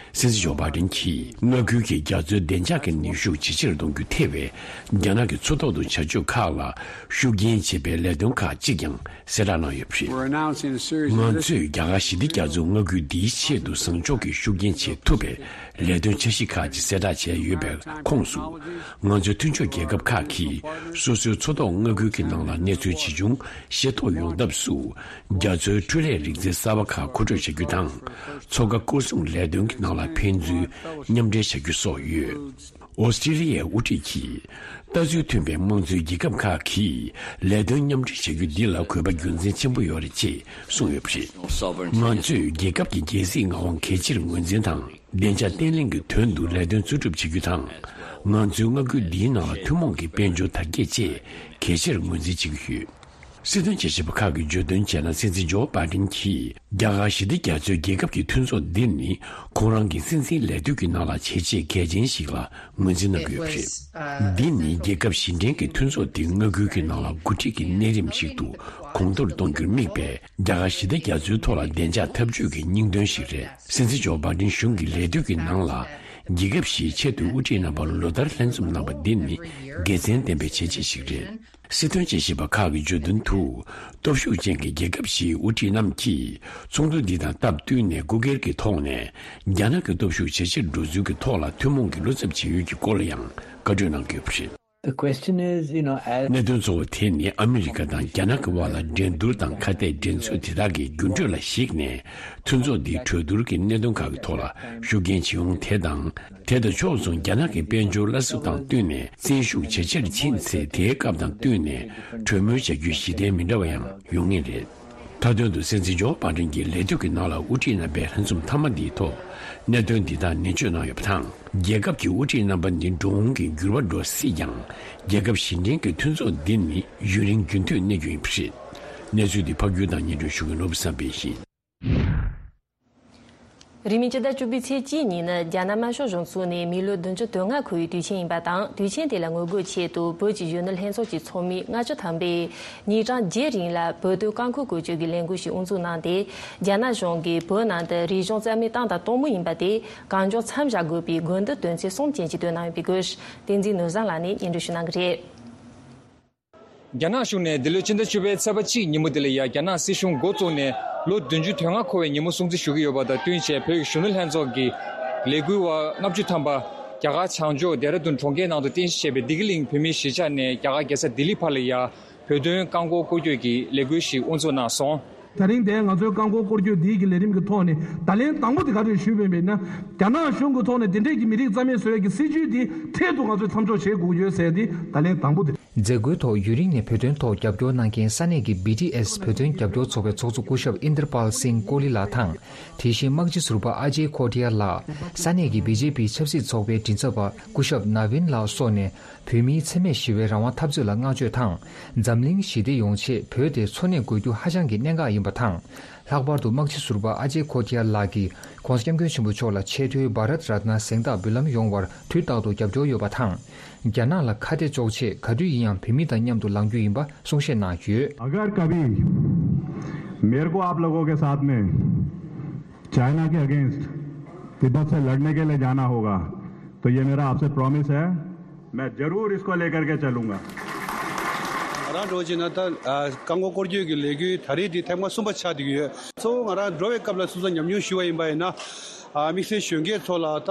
སྲིད་འཛིན་ཇོ་བྷའི་ཌེན་གྱིས་མངའ་ཁུལ་གྱི་རྒྱ་མཚོའི་བདེ་འཇགས་ཀྱི་ནུས་ཤུགས་ཇེ་ཆེར་གཏོང་རྒྱུ་ཐེ་བའི་རྒྱ་ནག་གི་མཚོ་ཐོག་ཏུ་བྱ་སྤྱོད་ཁག་ལ་ཤུགས་རྐྱེན་བྱེད་པའི་ལས་དོན་ཁག་ཅིག་ཀྱང་གསལ་བསྒྲགས་གནང་ཡོད་པ་རེད། We're announcing a series of ང་ཚོས་རྒྱ་གར་ཞི་བདེ་རྒྱ་མཚོའི་མངའ་ཁུལ་འདིའི་ཆེད་དུ་བཟང་ཕྱོགས་ཀྱི་ཤུགས་རྐྱེན་བྱེད་ཐུབ་པའི་ལས་དོན་འཆར་གཞི་ཁག་ཅིག་གསལ་བསྒྲགས་བྱས་ཡོད་པའི་ཁོངས་སུ། ང་ཚོའི་མཐུན་ཕྱོགས་རྒྱལ་ཁབ་ཁག་གིས་སོ་སོའི་མཚོ་ཐོག་མངའ་ཁུལ་གྱི་ནང་ལ་གནས་ཚུལ་ཇི་བྱུང་ཤེས་རྟོགས་ཡོང་ཐབས་སུ། རྒྱ་མཚོའི་འཕྲུལ་ལས་རིག་རྩལ་གསར་པ་ཁག་མཁོ་སྤྲོད་བྱ་རྒྱུ་དང་། མཚོ་ཁ་སྐོར་སྲུང་ལས་དོན་གྱི་ནང་ལ་ཕན་ཚུན་མཉམ་འབྲེལ་བྱ་རྒྱུ་སོགས་ཡོད། ཨོ་སི་ཀྲི་ལི་ཡའི་དབུ་ཁྲིད་ཀྱིས། ལྟ་ཚུལ་མཐུན་པའི་དམངས་གཙོའི་རྒྱལ་ཁབ་ཁག་གིས་ལས་དོན་མཉམ་འབྲེལ་བྱ་རྒྱུ་འདི་ལ་གུས་པ་རྒྱུ་མཚན་ཆེན་པོ་ཡོད་རེད་ཅེས་གསུངས་ཡོད་པ་རེད། ང་ཚོས་རྒྱལ་ཁབ་ཀྱི་རྒྱལ་སྲིད་མངའ་དབང་གལ་ཆེར་ངོས་འཛིན་དང་། བདེ་འཇགས་བརྟན་ལྷིང་གི་དོན་དུ་ལས་དོན་འཚོལ་སྒྲུབ་བྱེད་རྒྱུ་དང་། ང་ཚོའི་མངའ་ཁུལ་འདིའི་ནང་ལ་ཐུན་མོང་གི་དཔལ་འབྱོར་དར་རྒྱས་བཅས་གལ་ཆེར་ངོས་འཛིན་བྱེད་ཀྱི་ཡོད། སྲིད་དོན་དཔྱད་ཞིབ་པ་ཁག་གིས་བརྗོད་དོན་བྱས་ན། སྲིད་འཛིན་ཇོ་བྷའི་ཌེན་གྱིས་རྒྱ་གར་ཞི་བདེ་རྒྱ་མཚོའི་རྒྱལ་ཁབ་ཀྱི་མཐུན་ཚོགས་འདི་ནི་ཁོང་རང་གི་སྲིད་འཛིན་ལས་དུས་ཀྱི་ནང་ལ་བྱས་རྗེས་གལ་ཆེན་ཞིག་ལ་ངོས་འཛིན་གནང་གི་ཡོད་པ་རེད། འདི་ནི་རྒྱལ་ཁབ་བཞི་ལྡན་གྱི་མཐུན་ཚོགས་འདི་མངའ་ཁུལ་གྱི་ནང་ལ་འགོ་ཁྲིད་ཀྱི་གནས་རིམ་ཞིག་ཏུ་གོང་མཐོར་གཏོང་རྒྱུར་དམིགས་པའི་རྒྱ་གར་ཞི་བདེ་རྒྱ་མཚོའི་ཐོག་ལ་བདེ་འཇགས་འཐབ་ཇུས་ཀྱི་སྙིང་དོན་ཞིག་རེད། སྲིད་འཛིན་ཇོ་བྷའི་ཌེན་གཞུང་གི་ལས་དུས་ཀྱི་ནང་ལ་རྒྱལ་ཁབ་བཞིའི་ཆེས་མཐོའི་དབུ་ཁྲིད་རྣམ་པ་ལོ་ལྟར་ལྷན་འཛོམས་གནང་བ་འདི་ནི་དགེ་མཚན་ལྡན་པའི་བྱས་རྗེས་ཤིག་རེད། སྲིད་དོན་དཔྱད་ཞིབ་པ་ཁག་གིས་བརྗོད་དོན་དུ། སྟོབས་ཤུགས་ཅན་གྱི་རྒྱལ་ཁབ་བཞིའི་དབུ་ཁྲིད་རྣམས་ཀྱིས་ཚོགས་འདུ་འདི་དང་སྟབས་བསྟུན་ནས་སྐུ་སྒེར་གྱི་ཐོག་ནས་རྒྱ་ནག་གི་སྟོབས་ཤུགས་ཇེ་ཆེར་འགྲོ་ཚུལ་གྱི་ཐོག་ལ་ཐུན་མོང་གི་བློ་འཚབ་བྱེད་ཡུལ་གྱི་སྐོར་ལ་ཡང་བཀའ་འཁྲོལ་གནང་དགོས་པ་རེད། The question is, you know, as གནད་དོན་གཙོ་བོ་དེ་ནི་ཨ་མི་རི་ཀ་དང་རྒྱ་ནག་གི་དབར་ལ་འགྲན་བསྡུར་དང་ཁ་གཏད་འགྲན་རྩོད་དེ་དག་གི་འགྱུར་འགྲོས་ལ་གཞིགས་ནས་མཐུན་ཚོགས་འདིའི་གྲོས་བསྡུར་གྱི་གནད་དོན་ཁག་གི་ཐོག་ལ་ཤུགས་རྐྱེན་བྱེད་འོང་དེ་དང་། དེ་དང་ཕྱོགས་མཚུངས་རྒྱ་ནག་གི་དཔལ་འབྱོར་སླར་གསོ་དང་བསྟུན་ནས་བཙན་ཤུགས་ཇེ་ཆེར་ཕྱིན་ཚེ། དེའི་སྐབས་དང་བསྟུན་ནས་གྲོས་མོལ་བྱ་རྒྱུའི་གཞི་རྟེན་མི་འདྲ་བ་ཡང་ཡོང་ངེས་རེད། མཐའ་དོན་དུ་སྲིད་འཛིན་ཇོ་བྷའི་ཌེན་གྱི་ལས་དུས་ཀྱི་ནང་ལ་དབུ་ཁྲིད་རྣམ་པའི་ལྷན་འཛོམས་མཐའ་མ་འདིའི་ཐོག་གནད་དོན་འདི་དག་ནན་བརྗོད་གནང་ཡོད་པ་དང་། རྒྱལ་ཁབ་ཀྱི་དབུ་ཁྲིད་རྣམ་པ་འདི་འགྲོ་འོང་གི་འགྱུར་བ་འགྲོ་སྲིད་ཀྱང་། རྒྱལ་ཁབ་བཞི་ལྡན་གྱི་མཐུན་ཚོགས་འདི་ནི་ཡུན་རིང་རྒྱུན་མཐུད་གནས་རྒྱུ་ཡིན་པ་རེད། གནས་ཚུལ་འདི་ཕབ་སྒྱུར་དང་སྙན་སྒྲོན་ཞུ་མཁན་ནོར་བུ་བསམ་འཕེལ་ཡིན། རིང་མིན་སྤྱི་ཟླ་བཅུ་པའི་ཚེས་གཅིག་ཉིན་ནི་རྒྱ་ནག་དམར་ཤོག་གཞུང་བཙུགས་ནས་མི་ལོ་བདུན་ཅུ་དོན་ལྔ་འཁོར་བའི་དུས་ཆེན་ཡིན་པ་དང་། དུས་ཆེན་དེ་ལ་ངོ་རྒོལ་ཆེད་དུ་བོད་ཀྱི་གཞོན་ནུ་ལྷན་ཚོགས་ཀྱི་ཚོགས་མི་ལྔ་བཅུ་ཐམ་པས་ཉིན་གྲངས་བརྒྱད་རིང་ལ་བོད་དོན་རྐང་འཁུར་བཀོལ་སྤྱོད་ཀྱི་ལས་འགུལ་ཞིག་དབུ་འཛུགས་གནང་སྟེ། རྒྱ་ནག་གཞུང་གིས་བོད་ནང་དུ་རིག་གཞུང་རྩ་མེད་བཏང་དང་གཏོང་མུས་ཡིན་པ་དེ་གང་མགྱོགས་མཚམས་བཞག་དགོས་པའི་དགོས་འདུན་དོན་ཚན་གསུམ་ཅན་ཞིག་བཏོན་གནང་ཡོད་པའི་སྐོར། བསྟན་འཛིན་ནོར་བཟང་ལགས་ནས་སྙན་སྒྲོན་ཞུ་གནང་གི་རེད། རྒྱ་ནག་གཞུང་ནས་འདི་ལོའི་ཕྱི་ཟླ་བཅུ་པའི་ཚེས་པ་གཅིག་ཉིན་མོ་དེ་ལ་ཡ། རྒྱ་ནག་སྲིད་གཞུང་འགོ་བཙུགས་ནས་ལོ་བདུན་ཅུ་དོན་ལྔ་འཁོར་བའི་ཉིན་མོ་སྲུང་བརྩི་ཞུ་གི་ཡོད་པ་དང་བསྟུན་བྱས། བོད་ཀྱི་གཞོན་ནུ་ལྷན་ཚོགས་ཀྱི་ལས་འགུལ་བ་ལྔ་བཅུ་ཐམ་པ་རྒྱ་གར་བྱང་ཕྱོགས་ལྡེ་ར་ལྡུན་གྲོང་ཁྱེར་ནང་དུ་རྟེན་གཞི་བྱས་ནས། རྒྱ་གར་རྒྱལ་ས་ལྡི་ལི་བར་ལ་ཡ། བོད་དོན་རྐང་འཁོར་སྐོར་སྐྱོད་ཀྱི་ལས་འགུལ་ཞིག་དབུ་འཛུགས་གནང་སོང་། ད་རིང་དེ་ང་ཚོའི་རྐང་འཁོར་སྐོར་སྐྱོད་འདིའི་གི་ལས་རིམ་གྱི་ཐོག་ནས་ད་ལན་དང་པོ་དེ་ག་རེ་ཞུས་པ་ཡིན་ན། རྒྱ་ནག་གཞུང་གི་ཐོག་ནས་དེ་འདྲས་ཀྱི་མི་རིགས་རྩ་མེད་བཟོ་ཡས་ཀྱི་སྲིད་ཇུས་འདི་འཕྲལ་དུ་ང་ཚོས་མཚམས་འཇོག་བྱེད་དགོས་ཀྱི་ཡོད་ཟེར་ཏེ་ད་ལན་དང་པོ་དེ། མཛད་སྒོའི་ཐོག་ཡུན་རིང་ནས་བོད་དོན་ཐོག་རྒྱབ་སྐྱོར་གནང་མཁན་ས་གནས་ཀྱི་བི་ཌི་ཨེསི་བོད་དོན་རྒྱབ་སྐྱོར་ཚོགས་པའི་ཚོགས་གཙོ་སྐུ་ཞབས་ཨིན་དར་པཱལ་སིང་ཀོ་ལི་ལགས་དང་། དེ་བཞིན་དམག་སྤྱི་ཟུར་པ་ཨ་ཇེ་ཁོ་ཐི་ཡ་ལགས། ས་གནས་ཀྱི་བི་ཇེ་པི་ཆབ་སྲིད་ཚོགས་པའི་མགྲིན་ཚབ་པ་སྐུ་ཞབས་ན་བིན་ལགས་སོགས་ནས། བོད་མིའི་འཚེ་མེད་ཞི་བའི་རང་དབང་འཐབ་རྩོད་ལ་བསྔགས་བརྗོད་དང་། འཛམ་གླིང་ཞི་བདེ་ཡོང་ཆེད་བོད་དེ་འཚོ་གནས་དགོས་རྒྱུ་ཧ་ཅང་གི་གནད་འགག་ཡིན་པ་དང་། ལྷག་པར་དུ་དམག་སྤྱི་ཟུར་པ་ཨ་ཅེ་ཁོ་ཐི་ཡ་ལགས་ཀྱིས་༸གོང་ས་༸སྐྱབས་མགོན་ཆེན་པོ་མཆོག་ལ་ཆེས་མཐོའི་བྷ་རད་རཏ་ན་གཟེངས་རྟགས་འབུལ་ལམ་ཡོང་བར་དུས་རྟག་ཏུ་རྒྱབ་སྐྱོར་ཡོད་པ་དང་། རྒྱ་ནག་ལ་ཁ་གཏད་གཅོག་ཆེད་ག་དུས་ཡིན་ཡང་བོད་མི་དང་མཉམ་དུ་ལངས་རྒྱུ་ཡིན་པ་གསུང་བཤད་གནང་ཡོད། अगर कभी मेरे को आप लोगों के साथ में चाइना के अगेंस्ट तिब्बत से लड़ने के लिए जाना होगा, तो ये मेरा आपसे प्रॉमिस है, मैं जरूर इसको लेकर के चलूंगा। ང་རང་འགྲོ་བྱས་ན་ད་རྐང་འཁོར་སྐོར་སྐྱོད་ཀྱི་ལས་འགུལ་ད་རེས་འདི་ཐེངས་མ་གསུམ་པ་ཆགས་བསྡད་ཀྱི་ཡོད། གཙོ་བོ་ང་རང་འགྲོ་བའི་སྐབས་ལ་སོ་སོ་ཉམས་མྱོང་ཞུ་བ་ཡིན་པ་ཡིན་ན། ཨ། དམིགས་བསལ་གཞོན་སྐྱེས་ཚོ་ལ་ད་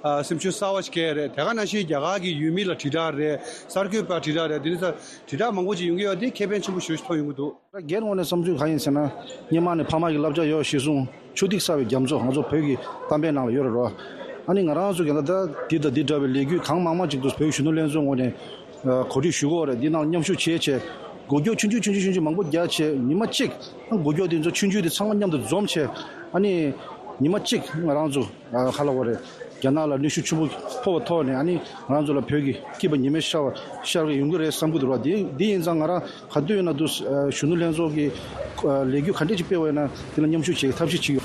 ཨ་སེམས་ཤུགས་གསར་བ་ཞིག་སྐྱེ་རེད། དེ་ག་ནང་བཞིན་རྒྱ་གར་གྱི་ཡུལ་མི་ལ་དྲིལ་བསྒྲགས་རེད། གསར་འགོད་པ་དྲིལ་བསྒྲགས་རེད། དེ་ནི་ད་དྲིལ་བསྒྲགས་མང་པོ་ཅིག་ཡོང་གི་ཡོད། དེ་ཁེ་ཕན་ཆེན་པོ་ཞེ་པོ་ཅིག་ཐོབ་ཡོང་གི་འདུག་སྒེར་ངོས་ནས་བསམ་ཚུལ་གང་ཡིན་ཟེར་ན། སྔོན་མ་ནས་ཕ་མ་གི་བསླབ་བྱ་ཡོད། གཞི་བཟུང་ཆུ་ཐིགས་གསར་བའི་རྒྱ་མཚོ་ང་ཚོ་བོད་ཀྱི་གཏམ་དཔེ་ནང་ལ་ཡོད་རེད་རོ། ཨ་ནི་ང་རང་ཚོ་གི་ད་ལྟ་འདི་དང་འདི་འདྲ་བའི་ལས་འགུལ་གང་མང་མང་ཅིག་ཏུ་བོད་གཞོན་ནུ་ལྷན་ཚོགས་ངོས་ནས་ཨ་གོ་སྒྲིག་ཞུ་གི་ཡོད་རེད། འདི་ནང་མཉམ་ཞུགས་བྱས་བྱས་འགུལ་སྐྱོད་ཆུང་ཆུང་ཆུང་ཆུང་ཆུང་ཆུང་མང་པོ་རྒྱག་བྱས། ཉི་མ་གཅིག་ཨ་འགུལ་སྐྱོད་འདི་ཚོ་ཆུང་ཆུང་དེ་ཚང་མ་མཉམ་དུ་འཛོམས་བྱས། ཨ་ནི་ཉི་མ་གཅིག་ང་རང་ཚོ་ཨ་ག་ལབ་དགོས་རེད། རྒྱ་ནག་ལ་གནོན་ཤུགས་ཆེན་པོ་ཕོག་པའི་ཐོག་ནས། ཨ་ནི་ང་རང་ཚོ་ལ་བོད་ཀྱི་སྐྱིད་པ་ཉི་མ་ཤར་བ་ཤར་གི་ཡོང་གི་རེད་བསམ་གྱི་འདུག་ར། དེ་དེ་ཡིན་ཙང་ང་རང་ག་དུས་ཡིན་ན་དུ་གཞོན་ནུ་ལྷན་ཚོགས་ཀྱི་ལས་འགུལ་ག་འདྲས་ཅིག་སྤེལ་བ་ཡིན་ན་དེ་ལ་མཉམ་ཞུགས་བྱེད་ཀྱི་ཐབས་ཤེས་བྱེད་ཀྱི་ཡོད།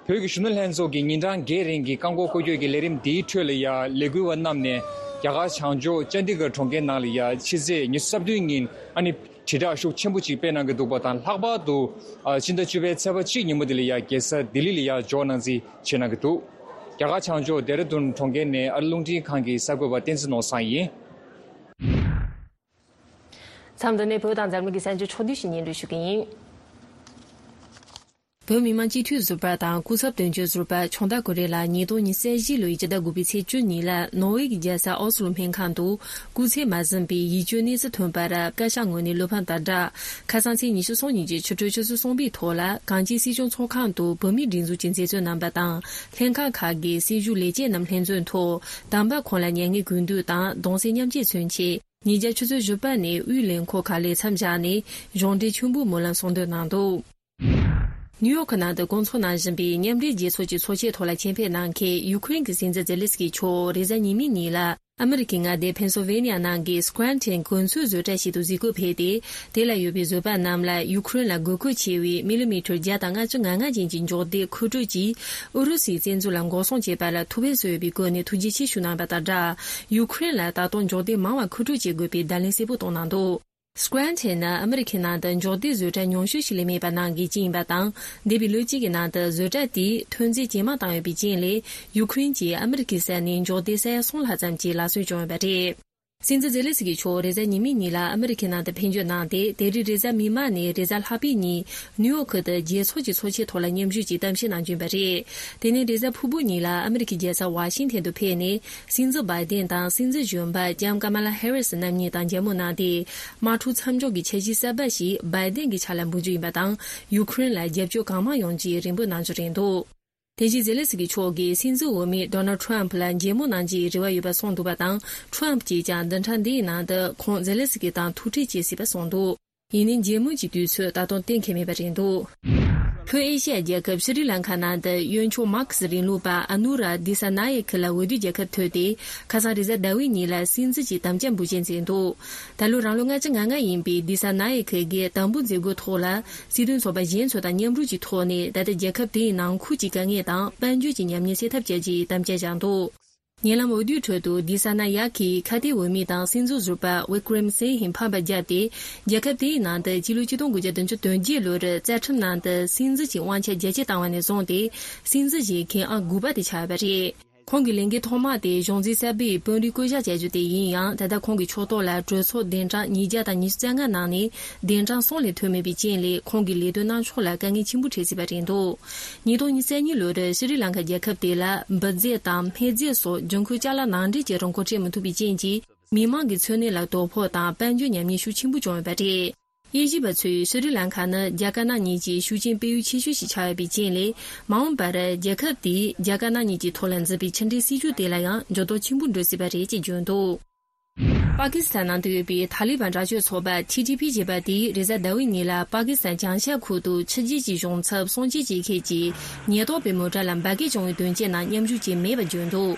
བོད་ཀྱི་གཞོན་ནུ་ལྷན་ཚོགས་ཀྱི་ཉིན་གྲངས་བརྒྱད་རིང་གི་བཀག་འགོག་སྐོར་སྐྱོད་ཀྱི་ལས་རིམ་འདིའི་ཁྲོད་ལ་ཡ་ལས་འགུལ་བ་རྣམས་ནས་རྒྱ་གར་བྱང་ཕྱོགས་ཅན་ཌི་གྷར་གྲོང་ཁྱེར་ནང་ལ་ཡ་ཕྱི་ཚེས་ཉི་ཤུ་རྩ་བདུན་ཉིན་ཨ་ནི་དྲིལ་བསྒྲགས་ཤུགས་ཆེན་པོ་ཅིག་སྤེལ་གནང་གི་འདུག་པ་དང་། ལྷག་པར་དུ་ཨ་ཕྱི་ཟླ་བཅུ་པའི་ཚེས་པ་གཅིག་ཉིན་མོ་དེ་ལ་ཡ་རྒྱལ་ས་ལྡི་ལི་ལ་ཡ་འབྱོར་གནང་རྩིས་བྱེད་གནང་གི་འདུག་རྒྱ་གར་བྱང་ཕྱོགས་ལྡེ་ར་ལྡུན་གྲོང་ཁྱེར་ནས་ཨ་རི་རླུང་འཕྲིན་ཁང་གི་གསར་འགོད་པ་བསྟན་འཛིན་ནོར་བཟང་ཡིན། མཚམས་འདི་ནས་བོད་དང་འཛམ་གླིང་གི་གསར་འགྱུར་ཕྱོགས་བསྡུས་ཤིག་སྙན་སྒྲོན་ཞུ་གི་ཡིན། བོད་མི་མང་སྤྱི་འཐུས་ཟུར་པ་དང་སྐུ་ཚབ་དོན་གཅོད་ཟུར་པ་ཆུང་བདག་ཀུན་རིག་ལགས་ཉིས་སྟོང་ཉི་ཤུ་རྩ་བཞི་ལོའི་སྤྱི་ཟླ་དགུ་པའི་ཚེས་བཅུ་ཉིན་ལ་ནོར་ཝེ་གི་རྒྱལ་ས་ཨོ་སི་ལོ་སྨན་ཁང་དུ་སྐུ་ཚེ་མ་ཟིན་པའི་ཡིད་སྐྱོའི་གནས་ཚུལ་ཐོན་པར་བཀའ་ཤག་ངོས་ནས་བློ་ཕམ་དང་སྦྲགས། ཁ་སང་ཚེས་ཉི་ཤུ་རྩ་གཉིས་ཀྱི་ཕྱི་དྲོ་ཆུ་ཚོད་གསུམ་པའི་ཐོག་ལ་གངས་ཅན་སྲིད་སྐྱོང་ཚོགས་ཁང་དུ་བོད་མིའི་སྒྲིག་འཛུགས་ཀྱི་མཛད་གཙོ་རྣམ་པ་དང་ལྷན་ཁང་ཁག་གི་སྲིད་ཞུགས་ལས་བྱེད་རྣམས་ལྷན་འཛོམས་ཐོག་དམ་པ་ཁོང་ལ་མྱ་ངན་གུས་འདུད་དང་གདུང་སེམས་མཉམ་སྐྱེད་མཚོན་ཆེད། ཉིན་རྒྱབ་ཆུ་ཚོད་བཞི་པ་ནས་དབུས་ལས་འཁོར་ཁག་ལ་མཚམས་བཞག་ནས་གཞུང་འབྲེལ་མཆོད་འབུལ་སྨོན་ལམ་གསུང་འདོན་གནང་འདུག་ནིའུ་ཡོག་གི་ནང་དུ་སྐོང་ཚོགས་གནང་བཞིན་པའི་མཉམ་འབྲེལ་རྒྱལ་ཚོགས་ཀྱི་ཚོགས་ཆེན་ཐོག་ལ་ཆེད་ཕེབས་གནང་མཁན་ཡུ་ཁུ་རེན་གྱི་སྲིད་འཛིན་ཛེ་ལེ་སི་ཀི་མཆོག་རེས་གཟའ་ཉི་མའི་ཉིན་ལ་ཨ་མི་རི་ཀའི་མངའ་སྡེ་ཕེན་སིལ་ཝེ་ནི་ཡ་ནང་གི་སྐུ་རན་ཊན་གོ་མཚོན་བཟོ་གྲྭ་ཞིག་ཏུ་གཟིགས་སྐོར་ཕེབས་ཏེ། དེ་ལ་ཡོད་པའི་བཟོ་པ་རྣམས་ལ་ཡུ་ཁུ་རེན་ལ་དགོས་མཁོ་ཆེ་བའི་མི་ལི་མི་ཊར་བརྒྱ་དང་ལྔ་བཅུ་ང་ལྔ་ཅན་གྱི་འཇོག་སྟེགས་མཁོ་སྤྲོད་ཀྱིས་ཨུ་རུ་སུའི་བཙན་འཛུལ་ལ་འགོག་སྲུང་བྱས་པ་ལ་ཐུགས་ཕན་གསོས་ཡོད་པའི་སྒོ་ནས་ཐུགས་རྗེ་ཆེ་ཞུ་གནང་བ་དང་སྦྲགས། ཡུ་ཁུ་རེན་ལ་ད་དུང་འཇོག་སྟེགས་མང་བ་མཁོ་སྤྲོད་བྱེད་དགོས་པའི་བརྡ་ལན་གསལ་པོ་བཏང་གནང་འདུག་སྐུ་རན་ཊན་ནི་ཨ་མི་རི་ཁའི་ནང་དུ་འཇོག་སྟེགས་བཟོ་གྲྭ་ཉུང་ཤོས་ཤིག་ལས་མེད་པ་ནང་གི་གཅིག་ཡིན་པ་དང་། འདས་པའི་ལོ་གཅིག་གི་ནང་དུ་བཟོ་གྲྭ་དེས་ཐོན་རྫས་ཇེ་མང་བཏང་ཡོད་པའི་རྐྱེན་ལས། ཡུ་ཁུ་རེན་གྱིས་ཨ་མི་རི་ཁའི་ས་ཡ་ནས་འཇོག་སྟེགས་ས་ཡ་གསུམ་ལྷག་ཙམ་གྱི་ལག་སོན་བྱུང་ཡོད་པ་རེད། སྲིད་འཛིན་ཛེ་ལེ་སི་ཀི་མཆོག་རེས་གཟའ་ཉི་མའི་ཉིན་ལ་ཨ་མི་རི་ཁའི་ནང་དུ་ཕེབས་འབྱོར་གནང་སྟེ། དེ་རིང་རེས་གཟའ་མིག་དམར་ནས་རེས་གཟའ་ལྷག་པའི་ཉིན་ནིའུ་ཡོག་ཁུལ་དུ་རྒྱལ་ཚོགས་ཀྱི་ཚོགས་ཆེན་ཐོག་ལ་མཉམ་ཞུགས་ཀྱིས་གཏམ་བཤད་གནང་རྒྱུ་ཡིན་པ་རེད། དེ་ནས་རེས་གཟའ་ཕུར་བུ་ཉིན་ལ་ཨ་མི་རི་ཁའི་རྒྱལ་ས་ཝ་ཤིང་ཐན་དུ་ཕེབས་ནས། སྲིད་འཛིན་བྷའི་ཏན་དང་སྲིད་འཛིན་གཞོན་པ་ལྕམ་ཀ་མ་ལ་ཧེ་རི་སི་རྣམ་གཉིས་དང་མཇལ་མོལ་གནང་སྟེ། དམག་འཁྲུག་མཚམས་འཇོག་གི་འཆར་གཞི་གསར་པ་ཞིག་བྷའི་ཏན་གྱི་ཕྱག་ལ་འབུལ་རྒྱུ་ཡིན་པ་དང་། ཡུ་ཁུ་རེན་ལ་རྒྱབ་སྐྱོར་གང་མང་ཡོང་རྒྱུའི་རེ་འབོད་གནང་རྒྱུ་རེད་འདུག་དེ་བཞིན་ཛེ་ལེ་སི་ཀི་མཆོག་གིས་སྲིད་འཛིན་འོས་མི་ཌོ་ནལ་ཁྲམ་ཕུ་ལ་མཇལ་མོལ་གནང་རྒྱུའི་རེ་བ་ཡོད་པ་གསུངས་འདུག་པ་དང་། ཁྲམ་ཕུ་གྱིས་ཀྱང་བདུན་ཕྲག་འདིའི་ནང་དུ་ཁོང་ཛེ་ལེ་སི་ཀི་དང་ཐུག་འཕྲད་བྱེད་སྲིད་པ་གསུངས་འདུག་ཡིན་ནའི་མཇལ་མོལ་གྱི་དུས་ཚོད་ད་དུང་གཏན་འཁེལ་མེད་པ་རེད་འདུག་ལྷོ་ཨེ་ཤི་ཡ་རྒྱལ་ཁབ་ཤྲི་ལང་ཁ་ནང་དུ་གཡོན་ཕྱོགས་མར་ཁེ་སི་རིང་ལུགས་པ་ཨ་ནུ་ར་དི་ས་ན་ཡེ་ཁི་ལ་འོས་བསྡུའི་རྒྱལ་ཁ་ཐོབ་སྟེ། ཁ་སང་རེས་གཟའ་ཟླ་བའི་ཉིན་ལ་སྲིད་འཛིན་གྱི་དམ་བཅའ་འབུལ་བཞེས་མཛད་འདུག་ད་ལོ་རང་ལོ་ལྔ་བཅུ་ང་ལྔ་ཡིན་པའི་དི་ས་ན་ཡེ་ཁི་གིས་དམ་འབུལ་མཛད་སྒོའི་ཐོག་ལ། སྲིད་དོན་ཚོགས་པ་གཞན་ཚོ་དང་མཉམ་རུབ་ཀྱི་ཐོག་ནས། ད་ལྟ་རྒྱལ་ཁབ་དེའི་ནང་ཁུལ་གྱི་དཀའ་ངལ་དང་དཔལ་འབྱོར་གྱི་ཉམས་ཉེས་སེལ་ཐབས་བྱ་རྒྱུའི་དམ་བཅའ་བཞག་འདུག་ཉེ་ལམ་འོས་བསྡུའི་ཁྲོད་དུ་དི་ས་ན་ཡ་ཁིས་ཁ་གཏད་འོས་མི་དང་སྲིད་འཛིན་ཟུར་པ་ཝི་ཀྲེམ་སིང་ཧེ་ཕམ་པར་བརྒྱབ་སྟེ། རྒྱལ་ཁབ་དེའི་ནང་དུ་སྤྱི་ལོ་ཆིག་སྟོང་དགུ་བརྒྱ་བདུན་ཅུ་དོན་བརྒྱད་ལོར་རྩ་ཁྲིམས་ནང་དུ་སྲིད་འཛིན་གྱི་དབང་ཆ་རྒྱ་སྐྱེད་བཏང་བ་ནས་བཟུང་སྟེ། སྲིད་འཛིན་བཞེས་མཁན་ཨང་དགུ་པ་དེ་ཆགས་ཡོད་པ་རེད། ཁོང་གི་ལས་འགན་ཐོག་མ་དེ་གཞུང་འཛིན་གསར་པའི་དཔོན་རིགས་བསྐོ་གཞག་བྱ་རྒྱུ་དེ་ཡིན་ཡང་། ད་ལྟ་ཁོང་གི་ཕྱོགས་གཏོགས་ལ་གྲོས་ཚོགས་གདན་གྲངས་ཉིས་བརྒྱ་དང་ཉི་ཤུ་རྩ་ལྔ་ནང་ནས་གདན་གྲངས་གསུམ་ལས་ཐོན་མེད་པའི་རྐྱེན་ལས། ཁོང་གི་ལས་དོན་གནང་ཕྱོགས་ལ་དཀའ་ངལ་ཆེན་པོ་འཕྲད་སྲིད་པ་རེད་འདུག་ཉིས་སྟོང་ཉི་ཤུ་རྩ་གཉིས་ལོར་ཤྲི་ལང་ཀ་རྒྱལ་ཁབ་དེ་ལ་འབུད་རྫས་དང་སྨན་རྫས་སོགས་འབྱུང་ཁུངས་ཅ་ལག་ནང་འདྲེན་བྱེད་རིན་གོང་འཕྲད་མི་ཐུབ་པའི་རྐྱེན་གྱིས། མི་མང་གི་འཚོ་གནས་ལ་དོ་ཕོག་དང་དཔལ་འབྱོར་ཉམས་ཉེས་ཤུགས་ཆེན་པོ་བྱུང་ཡོད་པ་རེད། དབྱེ་ཞིབ་པ་ཚོས་ཤྲི་ལང་ཀ་ནི་རྒྱ་དཀར་ནག་གཉིས་ཀྱི་ཤུགས་རྐྱེན་སྤེལ་ཡུལ་ཆེ་ཤོས་ཤིག་ཆགས་ཡོད་པའི་རྐྱེན་ལས། མ་འོངས་པར་རྒྱལ་ཁབ་དེས་རྒྱ་དཀར་ནག་གཉིས་ཀྱི་ཐོག་ལ་འཛིན་པའི་ཕྱི་འབྲེལ་སྲིད་ཇུས་དེ་ལ་ཡང་འགྱུར་ལྡོག་ཆེན་པོ་འགྲོ་སྲིད་པ་རེད་ཅེས་བརྗོད་འདུག་པ་ཀི་སི་ཐན་ནང་དུ་ཡོད་པའི་ཐ་ལི་བན་དྲག་སྤྱོད་ཚོགས་པ་ཐི་ཐི་པི་ཞེས་པ་དེས་རེས་གཟའ་ཟླ་བའི་ཉིན་ལ་པ་ཀི་སི་ཐན་བྱང་ཤར་ཁུལ་དུ་ཕྱི་རྒྱལ་གྱི་གཞུང་ཚབ་སྲུང་བརྩི་བྱེད་མཁན་གྱི་ཉེན་རྟོག་པའི་མོ་ཊ་ལ་འབར་གས་བྱུང་བའི་དོན་རྐྱེན་ནང་མཉམ་ཞུགས་བྱས་མེད་པ་བརྗོད་འདུག་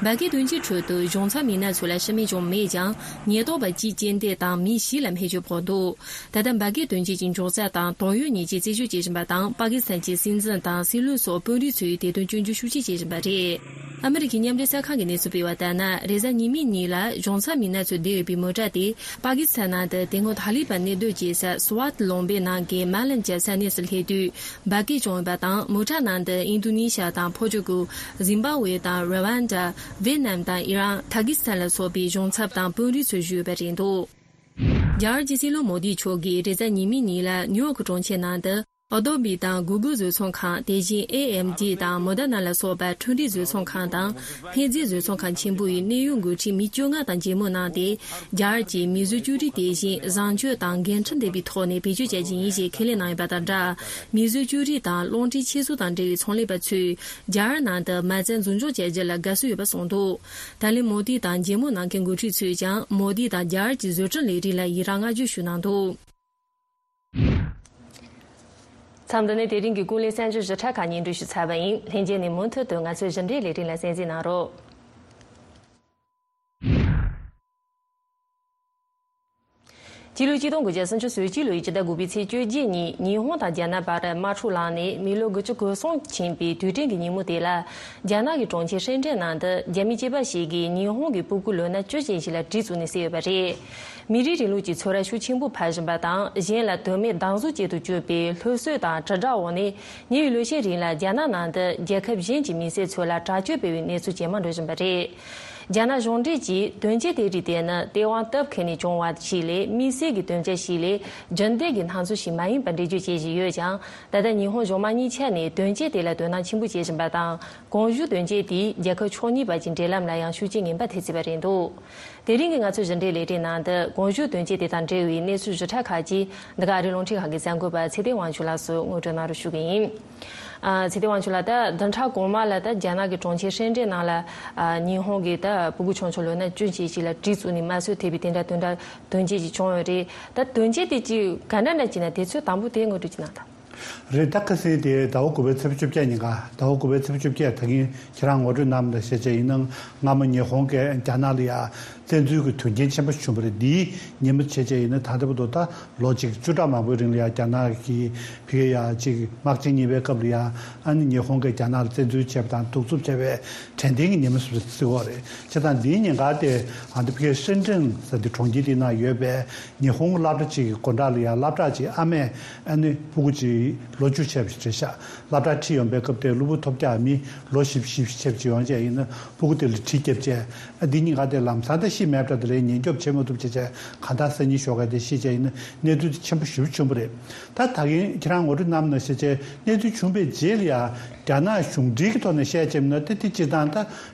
འབར་གས་དོན་རྐྱེན་ཁྲོད་དུ་གཞུང་ཚབ་མི་སྣ་ཚོ་ལ་ཤི་རྨས་བྱུང་མེད་ཀྱང་། ཉེན་རྟོག་པ་གཅིག་རྐྱེན་འདས་དང་མི་བཞི་ལ་སྨན་བཅོས་ཕོག་འདུག་ད་ལྟ་འབར་གས་དོན་རྐྱེན་གྱི་མགྱོགས་ཚད་དང་དོན་ཡོད་ཉེས་ཆད་རྩད་གཅོད་བྱེད་བཞིན་པ་དང་། པ་ཀི་སི་ཐན་གྱི་སྲིད་འཛིན་དང་སྲིད་བློན་སོགས་དཔོན་རིགས་ཚོས་དེ་དོན་སྐྱོན་བརྗོད་ཤུགས་ཆེ་བྱེད་བཞིན་པ་རེད། ཨ་མི་རི་ཀའི་མཉམ་འབྲེལ་གསར་ཁང་གིས་གནས་ཚུལ་སྤེལ་བ་ལྟར་ན། རེས་གཟའ་ཉི་མའི་ཉིན་ལ་གཞུང་ཚབ་མི་སྣ་ཚོས་བསྡད་ཡོད་པའི་མོ་ཊ་དེ་པ་ཀི་སི་ཐན་ནང་དུ་དེ་སྔོན་ཐ་ལི་བན་གནས་སྡོད་བྱེད་ས་སུ་ཝཱཏ་ལུང་པའི་ནང་གི་མཱ་ལན་གྱི་ས་གནས་སུ་སླེབས་དུས་འབར་གས་བྱུང་ཡོད་པ་དང་། མོ་ཊ་ནང་དུ་ཨིན་རྡུ་ནི་ཤ་དང་ཕོར་ཅུ་གུལ། ཟིམ་བྷ་ཝེ་དང་ར་ཝན་ཌ། ཝེ་ནམ་དང་ཨི་རན། ཐ་ཀི་སི་ཐན་ལ་སོགས་པའི་གཞུང་ཚབ་དང་དཔོན་རིགས་ཚོ་བཞུགས་ཡོད་པ་རེད་འདུག་རྒྱ་གར་གྱི་སྲིད་བློན་མོ་དི་མཆོག་གིས་རེས་གཟའ་ཉི་མའི་ཉིན་ལ་ནིའུ་ཡོག་གི་གྲོང་ཁྱེར་ནང་དུ། Adobe་དང་Google་བཟོ་ཚོང་ཁང་། དེ་བཞིན་ཨེ་ཨེམ་ཌི་དང་Moderna་ལ་སོགས་པའི་འཕྲུལ་རིག་བཟོ་ཚོང་ཁང་དང་། འཕེལ་རྒྱས་བཟོ་ཚོང་ཁང་ཆེན་པོ་ཡི་གནས་ཡུལ་འགོ་ཁྲིད་མི་བཅོ་ལྔ་དང་མཇལ་མོལ་གནང་སྟེ། རྒྱ་གར་གྱི་མིས་བཟོས་བཅོས་སྒྲིག་དེ་བཞིན་བཟང་སྤྱོད་དང་འགན་འཁྲི་ལྡན་པའི་ཐོག་ནས་བེད་སྤྱོད་བྱ་རྒྱུ་ཡིན་ཞེས་ཁས་ལེན་གནང་ཡོད་པ་དང་སྦྲགས། མིས་བཟོས་བཅོས་སྒྲིག་དང་རླུང་འཕྲིན་ཆེད་བཟོ་དང་འབྲེལ་བའི་ཚོང་ལས་པ་ཚོས་རྒྱ་གར་ནང་དུ་མ་རྩ་འཛིན་སྐྱོང་བྱ་རྒྱུ་ལ་དགའ་བསུ་ཡོད་པ་གསུངས་འདུག། ད་ལན་མོ་དི་དང་མཇལ་མོལ་གནང་མཁན་འགོ་ཁྲིད་ཚོས་ཀྱང་མོ་དི་དང་རྒྱ་གར་གྱི་བཟོ་སྐྲུན་ལས་རིགས་ལ་ཡི་རངས་བསྔགས་བརྗོད་ཞུ་གནང་འདུག། མཚམས་འདི་ནས་དེ་རིང་གི་ཀུན་གླེང་གསར་འགྱུར་ཞིབ་ཕྲ་ཁག་སྙན་སྒྲོན་ཞུ་ཚར་བ་ཡིན། ལྷན་རྒྱས་ནས་མུ་མཐུད་དུ་ང་ཚོའི་ཞིབ་འབྲིའི་ལས་རིམ་ལ་གསན་གཟིགས་གནང་རོགས། སྤྱི་ལོ་ཆིག་སྟོང་དགུ་བརྒྱ་སུམ་ཅུ་སོ་གཅིག་ལོའི་ཕྱི་ཟླ་དགུ་པའི་ཚེས་བཅོ་བརྒྱད་ཉིན་ཉི་ཧོང་དང་རྒྱ་ནག་བར་དམག་འཁྲུག་ལངས་ནས་མི་ལོ་དགུ་བཅུ་གོ་གསུམ་ཕྱིན་པའི་དུས་དྲན་གྱི་ཉིན་མོ་དེ་ལ། རྒྱ་ནག་གི་གྲོང་ཁྱེར་ཧྲེན་ཀྲེན་ནང་དུ་རྒྱ་མི་སྐྱེས་པ་ཞིག་གིས་ཉི་ཧོང་གི་སྤུ་གུ་ལོ་ན་བཅུ་ཅན་ཞིག་ལ་གྲི་བཙུགས་ནས་བསད་ཡོད་པ་རེད། མི་རིགས་རིང་ལུགས་ཀྱི་ཚོར་བ་ཤུགས་ཆེན་པོ་འཕར་བཞིན་པ་དང་། གཞན་ལ་དོན་མེད་སྡང་ཟུག་བྱེད་དུ་བཅུག་པའི་སློབ་གསོ་དང་དྲིལ་བསྒྲགས་འོག་ནས། ཉེ་བའི་ལོ་ཤས་རིང་ལ་རྒྱ་ནག་ནང་དུ་རྒྱལ་ཁབ་གཞན་གྱི་མི་སེར་ཚོ་ལ་དྲག་སྤྱོད་སྤེལ་བའི་གནས་ཚུལ་ཇེ་མང་འགྲོ་བཞིན་པ་རེད། རྒྱ་ནག་གཞུང་འབྲེལ་གྱིས་དོན་རྐྱེན་དེ་རིགས་དེ་ནི་ཏེ་ཝང་སྟབས་ཁེལ་ནས་བྱུང་བ་ཞིག་ལས། དམིགས་བསལ་གྱི་དོན་རྐྱེན་ཞིག་ལས། རྒྱུན་ལྡན་གྱི་སྣང་ཚུལ་ཞིག་མ་ཡིན་པར་འགྲེལ་བརྗོད་བྱེད་བཞིན་ཡོད་ཀྱང་། ད་ལྟ་ཉི་ཧོང་གཞུང་མང་གཉིས་ཆ་ནས་དོན་རྐྱེན་དེ་ལ་དོ་སྣང་ཆེན་པོ་བྱེད་བཞིན་པ་དང་། གོང་ཞུས་དོན་རྐྱེན་དེས་རྒྱལ་ཁབ་ཕྱོགས་གཉིས་བར་གྱི་འབྲེལ་ལམ་ལ་ཡང་ཤུགས་རྐྱེན་ངན་པ་ཐེབས་སྲིད་པ་རེད་འདུག། དེ་རིང་གི་ང་ཚོའི་ཞིབ་འབྲིའི་ལས་རིམ་ནང་དུ་གོང་ཞུས་དོན་རྐྱེན་དེ་དང་འབྲེལ་བའི་གནས་ཚུལ་ཞིབ་ཕྲ་ཁག་ཅིག་འདི་ག་ཨ་རིའི་རླུང་འཕྲིན་ཁང་གི་གསར་འགོད་པ་ཚེ་བརྟན་དབང་ཕྱུག་ལགས་སུ་ངོ་སྤྲོད་གནང་རོགས་ཞུ་གི་ཡིན། ཨ། ཚེ་བརྟན་དབང་ཕྱུག་ལགས། ད་བདུན་ཕྲག་གོང་མ་ལ་ད་རྒྱ་ནག་གི་གྲོང་ཁྱེར་ཧྲེན་ཀྲེན་ནང་ལ། ཨ། ཉི་ཧོང་གི་ད་སྤུ་གུ་ཆུང་ཆུང་ལོ་ན་བཅུ་ཅན་ཞིག་ལ་གྲི་བཙུགས་ནས་དམར་གསོད་ཐེབས་པའི་དེ་འདྲ་དོན་འདྲ་དོན་རྐྱེན་ཅིག་བྱུང་ཡོད་རེད། ད་དོན་རྐྱེན་དེ་ཅིག་ག་འདྲ་འདྲ་ཅིག་ན་དེ་ཚོའི་དང་པོ་དེ་ངོ་སྤྲོད་ཅིག་གནང་དང་། རེད། ད་ཁ་སང་དེ་ཟླ་བ་དགུ་པའི་ཚེས་བཅོ་བརྒྱད་ཉིན་ཀ་ཟླ་བ་དགུ་པའི་ཚེས་བཅོ་བརྒྱད། ད་གིན་ཁྱེད་རང་ངོ་སྤྲོད་གནང་ལ་བཤད་བྱས་ཡིན་ན། སྔ་མོ་ཉི་ཧོང་གིས་རྒྱ་ནག་ལ་ཡ་བཙན་འཛུལ་གྱི་དོན་རྐྱེན་ཆེན་པོ་བྱུང་བ་རེད། འདིའི་ཉིན་མོ་བྱས་བྱས་ཡིན་ན་ད་ལྟ་བར་དུ་ད་ལོ་གཅིག་བཅུ་ཕྲག་མང་པོའི་རིང་ལ་ཡ་རྒྱ་ནག་གིས་ཕ་གི་ཡ་གཅིག་དམག་ཆེན་གཉིས་པའི་སྐབས་ལ་ཡ། ཨ་ནི་ཉི་ཧོང་གིས་རྒྱ་ནག་ལ་བཙན་འཛུལ་བྱས་པ་དང་གདུག་རྩུབ་བྱས་པའི་དྲན་རྟེན་གྱི་ཉིན་མོ་ཟེར་གྱི་ཡོད་རེད། བྱས་ཙང་འདིའི་ཉིན་ཀ་དེ་ཨ་ནི་ཕ་གི་ཧྲེན་ཀྲེན་ཟེར་དེ་གྲོང་ཁྱེར་དེའི་ནང་ཡོད་པའི་ཉི་ཧོང་སློབ་གྲྭ་གཅིག་གི་སྒོ་འགྲམ་ལ་ཡ་སློབ་གྲྭ་གཅིག་ཨ་མས་ཨ་ནི་སྤུ་གུ་གཅིག་ལོ་བཅུ་བྱས་པ་ཞིག་རེད་ཤག་སློབ་གྲྭ་ཁྲིད་ཡོང་པའི་སྐབས་དེར་གློ་བུར་ཐོལ་རྒྱག་མི་ལོ་བཞི་བཅུ་ཞེ་བཅུ་ཡོང་བྱས་ཡིན་ན་སྤུ་གུ་དེ་ལ་གྲི་བརྒྱབ་བྱས། ཨ། འདི་གཉིས་ཀ་དེ་ལམ་སང་ད་ཤི་མེད་པ་འདྲ། དེ་ལས་ཉེན་སྐྱོབ་བྱེད་མ་ཐུབ་བྱས་བྱས་གང་ལྟར་སང་ཉིན་ཞོགས་ཀ་དེ་ཤི་བྱས་ཡིན་ན་གནས་ཚུལ་དེ་ཆེན་པོ་ཞེ་པོ་བྱུང་བ་རེད། ད་ད་གིན་ཁྱེད་རང་ངོ་སྤྲོད་གནང་ནང་བཞིན་བྱས་གནས་ཚུལ་བྱུང་བའི་རྗེས་ལ་ཡ་རྒྱ་ནག་གཞུང་འབྲེལ་གྱི་ཐོག་ནས་བཤད་བྱས་ན་ད་དེ་སྤྱིར་བཏང་ད་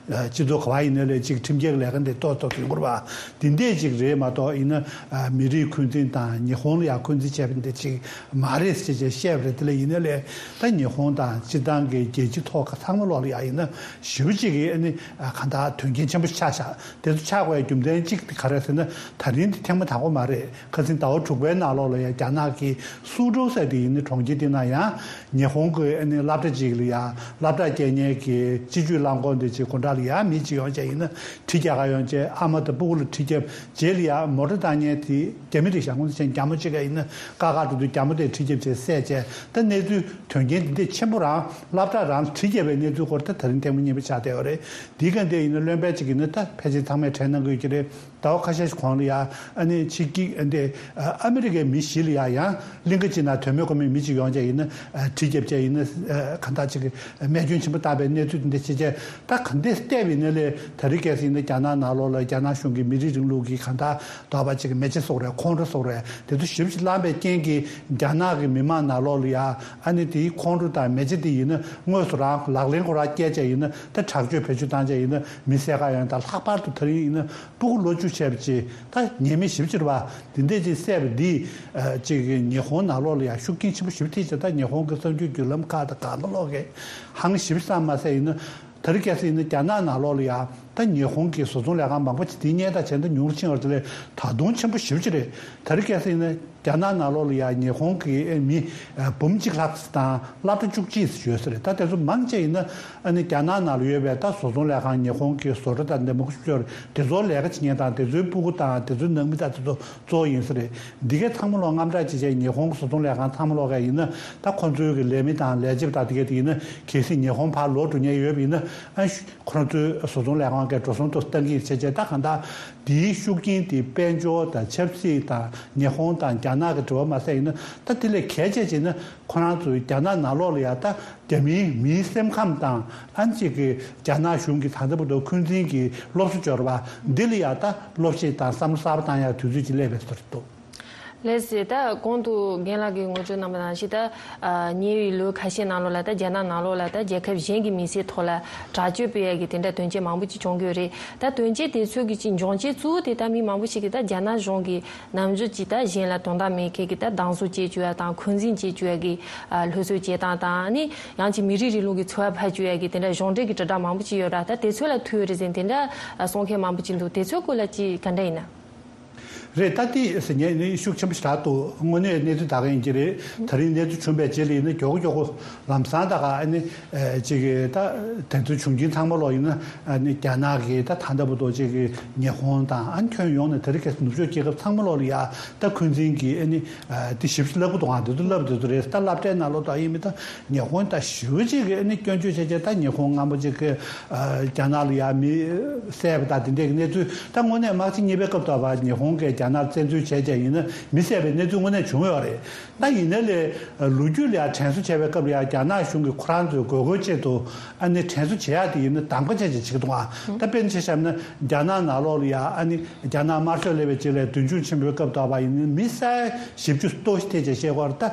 སྤྱི་ཚོགས་ག་པར་ཡིན་ན་ལས་ཅིག་ཁྲིམས་འགལ་ལས་ཀ་འདི་ཏོག་ཏོག་ཡོང་གི་རེད་པ། འདི་འདྲས་ཅིག་རེད་མ་གཏོགས་ཡིན་ན་མི་རིགས་འཁོན་འཛིན་དང་ཉི་ཧོང་ལ་ཡ་འཁོན་འཛིན་བྱས་པ་འདི་ཅིག་མ་རེད་ཟེར་བྱས་བཤད་པ་རེད། དེ་ལས་ཡིན་ན་ལས་ད་ཉི་ཧོང་དང་སྤྱིར་བཏང་གི་རྒྱལ་སྤྱི་ཐོག་ཁ་ཚང་མ་ལོག་ལ་ཡ་ཡིན་ན་ཞེ་པོ་ཅིག་གི་ཨ་ནི་གང་ལྟར་དོན་རྐྱེན་ཆེན་པོ་ཆགས་ཤག་དེ་ཚོ་ཆགས་དགོས་རྒྱུ་མཚན་གཅིག་དེ་ག་རེ་ཟེར་ན་ད་རིང་འདི་ཐེངས་མ་དང་པོ་མ་རེད། ཁ་སང་ཟླ་བ་དྲུག་པའི་ནང་ལོགས་ལ་ཡ་རྒྱ་ནག་གི་སུའུ་ཀྲོའུ་ཟེར་དེ་ཡིན་ན་གྲོང་ཁྱེར་དེ་ན་ཡང་ཉི་ཧོང་གི་ཨ་ནི་སློབ་གྲྭ་ཅིག་ལ་ཡ་སློབ་གྲྭ་སྐྱེལ་མཁན་གྱི་སྤྱི་སྤྱོད་རླངས་འཁོར་འདི་ཅིག་སྒོ་འགྲམ་ལ་ཡ་མི་ཅིག་ཡོང་བྱས་ཡིན་ན་གྲི་རྒྱག་ག་ཡོང་བྱས་ཨ་མ་དང་སྤུ་གུ་ལ་གྲི་བརྒྱབ། རྗེས་ལ་ཡ་མོ་ཊ་བཏང་མཁན་དེ་རྒྱ་མི་རེད་ཤག་སྔོན་ཆད་རྒྱ་མོ་གཅིག་ག་ཡིན་ན་ཀ་ཁ་འགྲོ་དུས་རྒྱ་མོ་དེས་གྲི་བརྒྱབ་བྱས་བསད་བྱས། ད་གནས་ཚུལ་དོན་རྐྱེན་འདི་འདྲས་ཆེན་པོ་རང་སློབ་གྲྭ་རང་ལ་གྲི་བརྒྱབ་པའི་གནས་ཚུལ་སྐོར་ད་ད་རིང་ཐེངས་མ་གཉིས་པ་ཆགས་བསྡད་ཡོད་རེད། འདི་ག་འདི་ཡིན་ན་བློན་པོ་གཅིག་ཡིན་ན་ད་ཕལ་ཆེར་ཚང་མས་དྲན་གནང་གི་ཡོད་ཀྱི་རེད། ཟླ་བ་ཁ་ཤས་ཤིག་གོང་ལ་ཡ་ཨ་ནི་ཕྱི་རྒྱལ་འདི་ཨ་མི་རི་ཀའི་མི་ཞིག་ལ་ཡ་ཡང་གླིང་ག་གཅིག་ནང་དོན་མེད་དགོས་མེད་མི་གཅིག་ཡོང་བྱས་ཡིན་ན་གྲི་བརྒྱབ་བྱས་ཡིན་ན་གང་ལྟར་ཅིག་རྨས་སྐྱོན་ཆེན་པོ་བཏང་བའི་གནས་ཚུལ་འདི་འདྲས་བྱས་བྱས་ད་ག་འདྲས་བལྟས་པ་ཡིན་ན་ལས་ད་རེས་གལ་སྲིད་ཡིན་ན་རྒྱ་ནག་ནང་ལོགས་ལ་རྒྱ་ནག་གཞུང་གིས་མི་རིགས་རིང་ལུགས་ཀྱི་གང་ལྟར་དོགས་པ་ཅིག་མེ་ལྕེ་སོགས་རེད། ཁོང་ཁྲོ་སོགས་རེད། དེ་ཚོ་ཞེ་པོ་ཅིག་ལངས་པའི་རྐྱེན་གྱིས་རྒྱ་ནག་གི་མི་མང་ནང་ལོགས་ལ་ཡ་ཨ་ནི་དེའི་ཁོང་ཁྲོ་དང་མེ་ལྕེ་དེ་ཡིན་ན་དངོས་སུ་རང་ལག་ལེན་ཁོ་རང་བཀལ་བྱས་ཡིན་ན་ད་དྲག་སྤྱོད་བེད་སྤྱོད་བཏང་བྱས་ཡིན་ན་མི་བསད་ག་ཡོང་། ད་ལྷག་པར་དུ་ད་རིང་ཡིན་ན་སྤུ་གུ་ལོ་བཅུ་བྱས་པ་ཅིག་ད་ཉེས་མེད་ཞེ་པོ་ཅིག་རེད་པ། དེ་འདྲས་ཅིག་བསད་པ་འདིས་ཨ་ཅིག་ཉི་ཧོང་ནང་ལོགས་ལ་ཡ་ཤུགས་རྐྱེན་ཆེན་པོ་ཞེ་པོ་ཐེབས་བྱས། ད་ཉི་ཧོང་གི་གསར་འགྱུར་བརྒྱུད་ལམ་ཁག་དང་གང་ལ་ལོག་གི་ཧང་ཞེ་པོ་ཙམ་མ་ཟད་ཡིན་ན། ད་རེས་གལ་སྲིད་ཡིན་ན་རྒྱ་ནག་ནང་ལོགས་ལ་ཡ་ད་ཉི་ཧོང་གི་བཟོ་ཚོང་ལས་ཁང་མང་པོ་ཅིག་དེ་སྔོན་དང་བྱས་ན་ཉུང་རུ་ཕྱིན་ཡོད་རེད། དེ་ལས་ད་དུང་ཆེན་པོ་ཞེ་པོ་ཅིག་རེད། ད་རེས་གལ་སྲིད་ཡིན་ན་རྒྱ་ནག་ནང་ལོགས་ལ་ཡ་ཉི་ཧོང་གི་མི་འབུམ་གཅིག་ལྷག་དང་སློབ་གྲྭ་བཅུ་གཅིག་ཡོད་ས་རེད། ད་དེ་ཚོ་མང་ཆེ་ཡིན་ན་ཨ་ནི་རྒྱ་ནག་ནང་ལ་ཡོད་པའི་ད་བཟོ་ཚོང་ལས་ཁང་ཉི་ཧོང་གི་བཟོ་གྲྭ་དང་འདི་མང་པོ་ཞིག་ཡོད་རེད། དེ་ཚོ་ལས་ཀ་བྱེད་མཁན་དང་དེ་ཚོའི་སྤུ་གུ་དང་དེ་ཚོའི་ནང་མི་དང་དེ་ཚོ་གཙོ་བོ་ཡིན་ས་རེད། འདི་གའི་ཚང་མ་ལོག་དངངས་སྐྲག་བྱེད་བྱས་ཉི་ཧོང་གི་བཟོ་ཚོང་ལས་ཁང་ཚང་མ་ལོག་ག་ཡིན་ན་ད་ཁོང་ཚོའི་གི་ལས་མི་དང་ལས་བྱེད་པ་དང་དེ་གའི་དེ་ཡིན་ན་གལ་སྲིད་ཉི་ཧོང་ཕར་ལོག་འགྲོ་མཁན་ཡོད་པ་ཡིན་ན་ཨ་ཁོང་ཚོའི་བཟོ་ཚོང་ལས་ཁང་གི་འགྲོ་སོང་དུ་བཏང་གི་བྱས་བྱས། ད་གང་ལྟར་དེའི་ཤུགས་རྐྱེན་དེ་དཔལ་འབྱོར་དང་ཆབ་སྲིད་དང་ཉི་ཧོང་དང་རྒྱ་ནག་གི་འབྲེལ་བ་མ་ཟད་ཡིན་ན་ད་དེ་ལས་གལ་ཆེ་བྱས་ན་ཁོ་རང་ཚོའི་རྒྱ་ནག་ནང་ལོགས་ལ་ཡ་ད་རྒྱ་མིའི་མིའི་སེམས་ཁམས་དང་ཨ་ནི་ཅིག་གི་རྒྱ་ནག་གཞུང་གི་ད་ལྟ་བར་དུ་འཁོན་འཛིན་གྱི་སློབ་གསོ་སྦྱོར་བ་འདི་ལ་ཡ་ད་སློབ་ཁྲིད་དང་བསམ་བློ་གསར་པ་བཏང་ཡ་དུས་ཚོད་ཅིག་སླེབས་པའི་བཟོ་འདྲ་འདུག། ལགས་སོ། ད་གོང་དུ་རྒན་ལགས་ཀྱིས་ངོ་སྤྲོད་གནང་བ་ནང་བཞིན། ད་ཨ་ཉེ་བའི་ལོ་ཁ་ཤས་ནང་ལོགས་ལ་ད་རྒྱ་ནག་ནང་ལོགས་ལ་ད་རྒྱལ་ཁབ་གཞན་གྱི་མི་སེར་ཐོག་ལ་དྲག་སྤྱོད་སྤེལ་ཡ་གི་དེ་འདྲ་དོན་རྐྱེན་མང་པོ་ཅིག་བྱུང་གི་ཡོད་རེད། ད་དོན་རྐྱེན་དེ་ཚོ་གི་ཅིག་འབྱུང་རྐྱེན་གཙོ་བོ་དེ་ད་མི་མང་པོ་ཞིག་གིས་ད་རྒྱ་ནག་གཞུང་གིས་ནམ་རྒྱུན་ཅིག་ད་གཞན་ལ་དོན་དག་མེད་མཁན་གྱི་ད་སྡང་ཟུག་སྐྱེ་བཅུག་ཡ་དང་འཁོན་འཛིན་སྐྱེ་བཅུག་ཡ་གི་ཨ་སློབ་གསོ་བྱེད་སྟངས་དང་། ཨ་ནི་ཡང་ཅིག་མི་རིགས་རིང་ལུགས་ཀྱི་ཚོར་བ་ཕབ་བཅུག་ཡ་གི་དེ་འདྲ་གཞུང་འབྲེལ་གྱི་དྲིལ་བསྒྲགས་མང་པོ་ཅིག་ཡོད་ར། ད་དེ་ཚོ་ལ་ཐུག་ཡོད་རེད་ཟེར་དེ་འདྲ་གསུང་མཁན་མང་པོ་ཅིག་འདུག་དེ་ཚོའི་སྐོར་ལ་ཅིག་ག་འདྲ་ཡིན་ན། རེད། ད་དེ་ཟེར་ངས་ནི་ཤུགས་ཆེན་པོ་ཞེ་དྲག་འདུག་དངོས་གནས་གནས་ཚུལ་ད་ག་ཡིན་གྱི་རེད། ད་རིང་གནས་ཚུལ་བྱུང་བའི་རྗེས་ལ་ཡིན་ན་མགྱོགས་པོ་མགྱོགས་པོ་ལམ་སང་ད་ག་ཨ་ནི་ཅིག་གི་ད་དེ་ཚོ་བྱུང་རྐྱེན་ཚང་མ་ལོག་ཡིན་ན་ཨ་ནི་རྒྱ་ནག་གི་ད་ད་ལྟ་བར་དུ་ཅིག་གི་ཉི་ཧོང་དང་ཨ་ནི་ཁྱོན་ཡོངས་ནས་དེ་རིང་ཁ་སང་ནུབ་ཕྱོགས་རྒྱལ་ཁབ་ཚང་མ་ལོག་ལ་ཡ་ད་འཁོན་འཛིན་གྱི་ཨ་ནི་དེ་ཞིབ་ཞིབ་བསླབ་གི་འདུག་ཨ་དེ་ཚོ་བསླབ་དེ་ཚོ་རེད། ད་སློབ་གྲྭའི་ནང་ལོག་ད་ཡིན་མིན་ད་ཉི་ཧོང་ད་ཞེ་པོ་ཅིག་གི་ཨ་ནི་སྐྱོན་བརྗོད་བྱས་བྱས། ད་ཉི་ཧོང་སྔ་མོ་ཅིག་གི་རྒྱ་ནག་ལ་ཡ་མི་བསད་པ་དང་དེ་འདྲའི་གི་གནས་ཚུལ། ད་དངོས་གནས་དམག་ཆེན་གཉིས་པའི་སྐབས་ཐོག་བར་ཉི་ཧོང་གིས་རྒྱ་ནག་བཙན་འཛུལ་བྱས་བྱས་ཡིན་ན་མི་བསད་པའི་གནས་ཚུལ་དངོས་གནས་བྱུང་ཡོད་རེད། ད་ཡིན་ནའི་ལས་ལོ་རྒྱུས་ལ་ཡ་དྲན་གསོ་བྱས་པའི་སྐབས་ལ་ཡ་རྒྱ་ནག་གཞུང་གིས་ཁོ་རང་ཚོའི་དགོས་མཁོའི་ཆེད་དུ་ཨ་ནི་དྲན་གསོ་བྱེད་ཡག་དེ་ཡིན་ན་གདམ་ག་བྱས་བྱས་བྱེད་ཀྱི་འདུག་ཨ། ད་དཔེར་ན་ཆ་བཞག་ན་རྒྱ་ནག་ནང་ལོགས་ལ་ཡ་ཨ་ནི་རྒྱ་ནག་དམར་ཤོག་སླེབས་པའི་རྗེས་ལ་མདུན་ལྗོངས་ཆེན་པོའི་སྐབས་ཐོག་བར་ཡིན་ན་མི་ས་ཡ་བཞི་བཅུ་ལྟོ་ཞིག་ཐེ་བྱས་བཤད་ཀྱི་ཡོད་རེད། ད་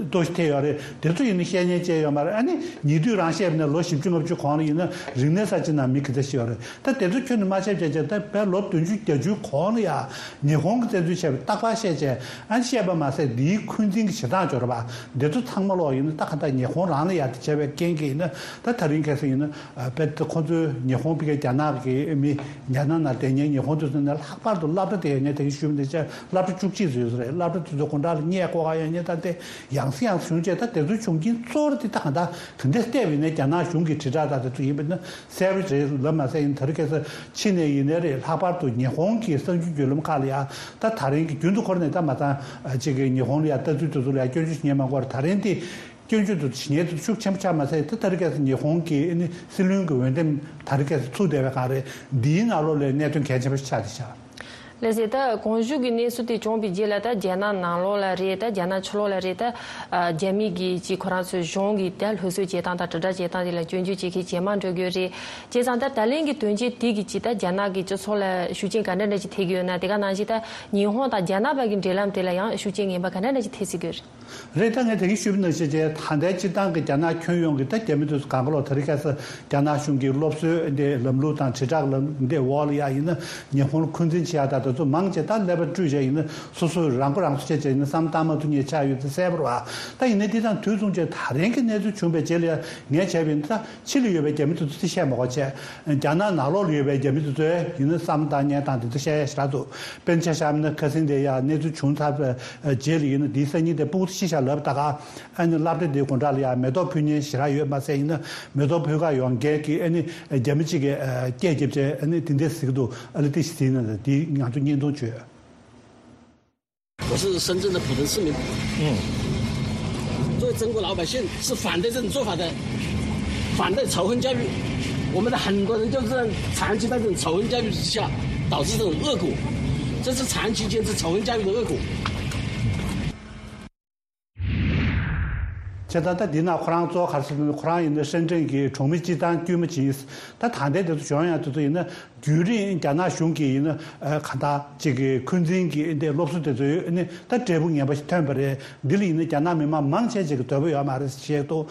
ལྟོ་ཞིག་ཐེ་ཡོད་རེད། དེ་ཚོ་ཡིན་ན་བཤད་ཉན་བྱས་ཡོད་མ་རེད། ཨ་ནི་ཉེ་དུས་རང་བཤད་པ་ན་ལོ་བཞི་བཅུ་ལྔ་བཅུ་གོང་ལ་ཡིན་ན་རིག་གནས་གསར་བརྗེ་ནང་མི་ག་ཚད་ཤི་ཡོད་རེད། ད་དེ་ཚོ་ཁྱོན་ནས་མ་བཤད་བྱས་བྱས་ད་བས་ལོ་བདུན་ཅུ་བརྒྱད་ཅུའི་གོང་ལ་ཡ་ཉི་ཧོང་གི་བཙན་འཛུལ་བྱས་པའི་རྟག་པར་བཤད་བྱས་ཨ་ནི་བཤད་པ་མ་ཟད་འདིའི་འཁོན་འཛིན་གྱི་བྱེད་སྟངས་སྦྱོར་བ་འདི་ཚོ་ཚང་མ་ལོག་ཡིན་ན་ད་ག་ད་ཉི་ཧོང་རང་ལ་ཡ་དེ་བྱས་པའི་རྐྱེན་གྱིས་ཡིན་ན་ད་ད་རིང་ཁ་སང་ཡིན་ན་བས་ད་ཁོ་ཚོའི་ཉི་ཧོང་ཕ་གིའི་རྒྱ་ནག་གི་མི་རྒྱ་ནག་ནང་བསྡད་མཁན་ཉི་ཧོང་དེ་ཚོ་ནས་ལྷག་པར་དུ་སློབ་གྲྭ་དེ་ཡོད་མཁན་དེ་གི་ཤུལ་མ་དེ་ཆ་སློབ་གྲྭ་བཅུ་གཅིག་ཙམ་ཡོད་ས་རེད། སློབ་གྲྭ་དེ་ཚོ་དགོང་དག་ལ་གཉིད་ཁུག་ག་ཡོད་མཁན་ད་དེ་ཡང་སེ་ཡང་སེ་བྱུང་བྱས། ད་དེ་ཚོའི་བྱུང་རྐྱེན་གཙོ་བོ་དེ་ད་གང་ལྟར་དེ་འདྲ་བལྟས་པ་ཡིན་ན་རྒྱ་ནག་གཞུང་གི་དྲིལ་བསྒྲགས་དང་དེ་ཚོ་ཡིན་པ་ན་གསལ་པོ་རེད་ལབ་མ་ཟད། ཡིན་ད་རེས་ཁ་སང་ཕྱི་ནས་ཡིན་ནའི་རེད། ལྷག་པར་དུ་ཉི་ཧོང་གི་གསར་འགྱུར་བརྒྱུད་ལམ་ཁག་ལ་ཡ་ད་ད་རིང་གི་རྒྱུན་དུ་འཁོར་ནས་ད་མ་ཚང་ཅིག་གི་ཉི་ཧོང་ལ་ཡ་ལྟ་ཚུལ་དེ་ཚོ་ལ་ཡ་སྐྱོན་བརྗོད་བྱེད་མཁན་མང་པོ་རེད། ད་རིང་དེ་སྐྱོན་བརྗོད་དེ་བྱེད་མཁན་དེ་ཤུགས་ཆེན་པོ་ཆགས་མ་ཟད། ད་ད་རེས་ཁ་སང་ཉི་ཧོང་གི་ཨ་ནི་སྲིད་བློན་གྱི་འོས་འདེམས་ད་རེས་ཁ་སང་ཚུགས་བསྡད་པའི་སྒང་རེད། འདིའི་ནང་ལོགས་ལ་གནད་དོན་གལ་ཆེན་པོ་ཞིག་ཆགས་བསྡད་ཤག་ལགས་སེ། ད་གོང་ཞུས་ཀྱི་གནས་ཚུལ་དེ་བྱུང་བའི་རྗེས་ལ་ད་རྒྱ་ནག་ནང་ལོགས་ལ་རེད། ད་རྒྱ་ནག་ཕྱི་ལོགས་ལ་རེད། ད་ཨ་རྒྱ་མི་གིས་ཅིག་ཁོ་རང་ཚོའི་གཞུང་གི་ད་སློབ་གསོ་བྱེད་སྟངས་དང་དྲིལ་བསྒྲགས་བྱེད་སྟངས་དེ་ལ་སྐྱོན་བརྗོད་བྱེད་མཁན་ཇེ་མང་འགྲོ་གི་ཡོད་རེད། བྱས་ཙང་ད་ད་ལན་གྱི་དོན་རྐྱེན་དེ་གིས་ཅིག་ད་རྒྱ་ནག་གི་སྤྱི་ཚོགས་ལ་ཤུགས་རྐྱེན་ག་འདྲ་འདྲ་ཅིག་ཐེབས་ཀྱི་ཡོད་ན། དེ་ག་ནང་བཞིན་ད་ཉི་ཧོང་དང་རྒྱ་ནག་བར་གྱི་འབྲེལ་ལམ་དེ་ལ་ཡང་ཤུགས་རྐྱེན་ངན་པ་ག་འདྲ་འདྲ་ཅིག་ཐེབས་སྲིད་ཀྱི་ཡོད་རེད། རེད། ད་ངས་དེ་གིན་ཞུས་པ་ནང་བཞིན་བྱས་ད་ལྟའི་སྤྱིར་བཏང་གི་རྒྱ་ནག་ཁྱོན་ཡོངས་ཀྱི་ད་རྒྱ་མི་དེ་ཚོ་གང་ག་ལོག་ད་རེས་ཁ་སང་རྒྱ་ནག་གཞུང་གི་སློབ་གསོའི་འདི་ལམ་ལུགས་དང་དྲིལ་བསྒྲགས་ལམ་འདི་འོག་ལ་ཡ་ཡིན་ན་ཉི་ཧོང་ལ་འཁོན་འཛིན་བྱེད་ཡ་ད་དེ་ཚོ་མང་ཆེ་ད་ཀླད་པ་བཀྲུས་བྱས་ཡིན་ན་སོ་སོས་རང་མགོ་རང་གསོ་བྱས་བྱས་ཡིན་ན་བསམ་བློ་བཏང་མ་ཐུབ་མཁན་ཆགས་ཡོད་དེ་གསལ་པོ་རེད་བ། ད་ཡིན་ནའི་དེ་དང་དུས་མཚུངས་བྱས་ད་རིང་གི་གནས་ཚུལ་བྱུང་བའི་རྗེས་ལ་ཡ་ངས་བྱས་པ་ཡིན་ན་ད་ཕྱི་ལ་ཡོད་པའི་རྒྱ་མི་དེ་ཚོ་དེ་བཤད་མ་དགོས་བྱས། རྒྱ་ནག་ནང་ལོགས་ལ་ཡོད་པའི་རྒྱ་མི་དེ་ཚོས་ཡིན་ན་བསམ་བཏང་མཁན་དང་དེ་ཚོ་བཤད་ཡ་ཞེ་དྲག་འདུག་དཔེར་ན་ཆ་བཞག་ན་ཁ་སང་དེ་ཡ་གནས་ཚུལ་བྱུང་ཚར་བའི་རྗེས་ལ་ཡིན་ན་དེའི་སང་ཉིན་དེ་སྤུ་གུ་ཤི་ཤག་ལབ། ད་ག་ཨ་ནི་སློབ་གྲྭ་དེའི་སྒོ་འགྲམ་ལ་ཡ་མེ་ཏོག་ཕུལ་མཁན་ཞེ་དྲག་ཡོད་མ་ཟད། ཡིན་ན་མེ་ཏོག་ཕུལ་གར་ཡོང་མཁན་གྱི་ཨ་ནི་རྒྱ་མི་གཅིག་གིས་སྐད་བརྒྱབ་བྱས་ཨ་ནི་དེ་འདྲས་ཟེར་གྱི་འདུག་ཨ་ལས་དེ་ཞིག་ཟེར་ན་དེ་ང་ཚོ་བརྙན་ཐུང་བྱོས། 我是深圳的普通市民。嗯，作为中国老百姓，是反对这种做法的，反对仇恨教育。我们的很多人就是长期在这种仇恨教育之下，导致这种恶果，这是长期坚持仇恨教育的恶果。 བྱས་ཙང་ད་འདི་ན་ཁོ་རང་གཙོ་བོ་ག་རེ་ཟེར་ན་ཁོ་རང་ཡིན་ན་ཧྲེན་ཀྲེན་གྱི་གྲོང་མི་སྤྱི་བཏང་དཀྱུས་མ་ཅིག་ཡིན། ད་ད་ལྟའི་དེ་ཚོ་གཞུང་ཡང་དེ་ཚོ་ཡིན་ན་རྒྱུན་རིང་རྒྱ་ནག་གཞུང་གིས་ཡིན་ན་གང་ལྟར་ཅིག་གི་འཁོན་འཛིན་གྱི་འདི་སློབ་གསོ་དེ་ཚོ་ཡོད་ནི་ད་འབྲས་བུ་ངན་པ་ཞིག་ཐོན་པ་རེད། འདི་ལ་ཡིན་ན་རྒྱ་ནག་མི་མང་མང་ཆེ་ཅིག་གི་འདོད་པ་ཡོད་མ་རེད་ཞེས་འདུག་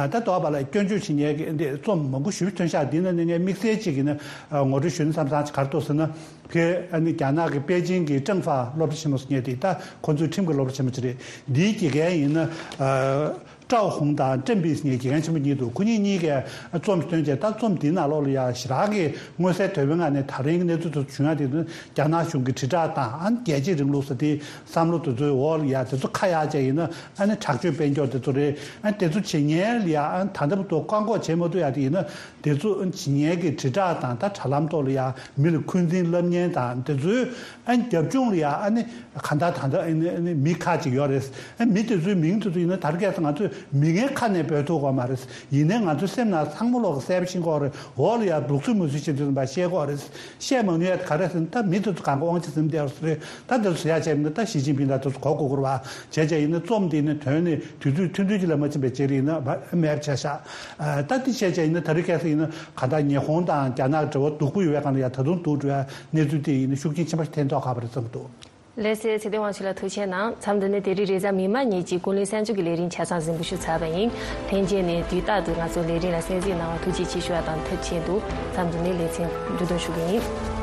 ད་དོགས་པ་ལ་སྐྱོན་བརྗོད་བྱེད་མཁན་གྱི་འདི་རྩོམ་མང་པོ་ཞེ་པོ་ཐོན་ཤག་འདི་ནང་ནས་ངས་དམིགས་བསལ་ཅིག་ཡིན་ན་ངོ་སྤྲོད་ཞུ་ན་བསམ་བསམ་ཅིག་ག་རེ་འདུག་ཟེར་ན། ཕེ་ཨ་ནི་རྒྱ་ནག་གི་པེ་ཅིང་གི་ཀྲང་ཧྥ་སློབ་གྲྭ་ཆེན་མོ་ཟེར་མཁན་དེ་ད་ཁོ་ཚོའི་ཁྲིམས་ཀྱི་སློབ་གྲྭ་ཆེན་མོ་ཅིག་རེད། འདིའི་དགེ་རྒན་ཡིན་ན་ཨ་ཀྲའོ་ཧུང་དང་ཀྲེན་པི་ཟེར་མཁན་དགེ་རྒན་ཆེན་པོ་གཉིས་འདུག་ཁོ་གཉིས་གཉིས་ཀས་རྩོམ་ཞིག་བཏོན་བྱས་ད་རྩོམ་འདིའི་ནང་ལོགས་ལ་ཡ་ཞེ་དྲག་གི་མངོན་གསལ་དོད་པོའི་ངང་ནས་ད་རིང་གི་གནས་ཚུལ་དེ་ཚོ་བྱུང་ཡ་དེ་ནི་རྒྱ་ནག་གཞུང་གི་དྲིལ་བསྒྲགས་དང་ཨ་ནི་རྒྱལ་གཅེས་རིང་ལུགས་ཟེར་དེ་བསམ་བློ་དེ་ཚོའི་འོག་ལ་ཡ་དེ་ཚོ་ཁ་གཡར་བྱས་ཡིན་ན་ཨ་ནི་དྲག་སྤྱོད་སྤེལ་རྒྱུ་དེ་ཚོ་རེད། ཨ་ནི་དེ་ཚོ་བྱེད་མཁན་ལ་ཡ་ཨ་ནི་ད་ལྟ་བར་དུ་བཀག་འགོག་བྱེད་མ་ཐུབ་ཡ་དེ་ཡིན་ན། དེ་ཚོ་ཨ་ནི་བྱེད་མཁན་གྱི་དྲིལ་བསྒྲགས་དང་ད་དྲ་ལམ་ཐོག་ལ་ཡ་མི་ལ་འཁོན་འཛིན་བསླབ་མཁན་དང་དེ་ཚོའི་ཨ་ནི་རྒྱབ་ལྗོངས་ལ་ཡ་ཨ་ནི་གང་ལྟར་ད་ལྟ་ཨ་ནི་ཨ་ནི་མི་ཁག་ཅིག་ཡོད་རེད། ཨ་མི་དེ་ཚོའི་མིང་དེ་ཚོ་ཡིན་ན་ད་རེས་ཁ་སང་ང་ཚོས་མི་ངན་ཁ་ནས་འབོད་ཐུབ་ཀྱི་མ་རེད། ཡིན་ནའི་ང་ཚོའི་སེམས་ནང་ཚང་མ་ལོག་གི་གསལ་པོ་ཤེས་ཀྱི་ཡོད་རེད། འོག་ལ་ཡ་སྡུག་རྩུབ་མུ་ཟེར་བྱེད་དུས་ཙམ་པ་ཤེས་ཀྱི་ཡོད་རེད། བཤད་མ་ནུས་ཡ་ག་རེ་ཟེར་ན་ད་མི་དེ་ཚོ་གང་ག་དབང་ཆ་ཟིན་བསྡད་ཡོད་རེད། ད་དེ་ཚོ་ཟེར་ཡ་བྱས་ན་ད་ཞི་ཅིན་ཕིང་ད་དེ་ཚོ་གོ་དགོས་ཀྱི་རེད་བ། བྱས་བྱས་ཡིན་ན་རྩོམ་དེ་ནི་དོན་ནི་དུས་ཚོད་ཐུང་ཐུང་ཅིག་ལ་མ་ཕྱིན་པའི་རྗེས་ལ་ཡིན་ན་མེད་པ་ཆགས་ཤག་ད་དེ་བྱས་བྱས་ཡིན་ན་ད་རེས་ཁ་སང་ཡིན་ན་ག་ད་ཉི་ཧོང་དང་རྒྱ་ནག་འབྲེལ་བ་སྡུག་པོ་ཡོད་པའི་སྒང་ལ་ཡ་ད་དུང་སྡུག་འགྲོ་བའི་གནས་ཚུལ་དེ་ཡིན་ན་ཤུགས་རྐྱེན་ཆེན་པོ་ཞིག་ཐེབས་མདོག་ཁ་པོ་རེད་བསམ་གྱི་འདུག་ལགས་སོ། ཚེ་བརྟན་དབང་ཕྱུག་ལགས་ཐུགས་རྗེ་གནང་། མཚམས་འདི་ནས་དེ་རིང་རེས་གཟའ་མིག་དམར་ཉིན་གྱི་ཀུན་གླེང་གསར་འགྱུར་གྱི་ལས་རིམ་ཆ་ཚང་གཟིགས་འབུལ་ཞུས་ཚར་བ་ཡིན། ལྷན་རྒྱས་ནས་དུས་རྟག་ཏུ་ང་ཚོའི་ལས་རིམ་ལ་གསན་གཟིགས་གནང་བར་ཐུགས་རྗེ་ཆེ་ཞུ་བ་དང་ཐུགས་རྗེ་ཆེ་འདུག་མཚམས་འདི་ནས་ལེ་ཚན་མཇུག་སྡོམ་ཞུ་གི་ཡིན།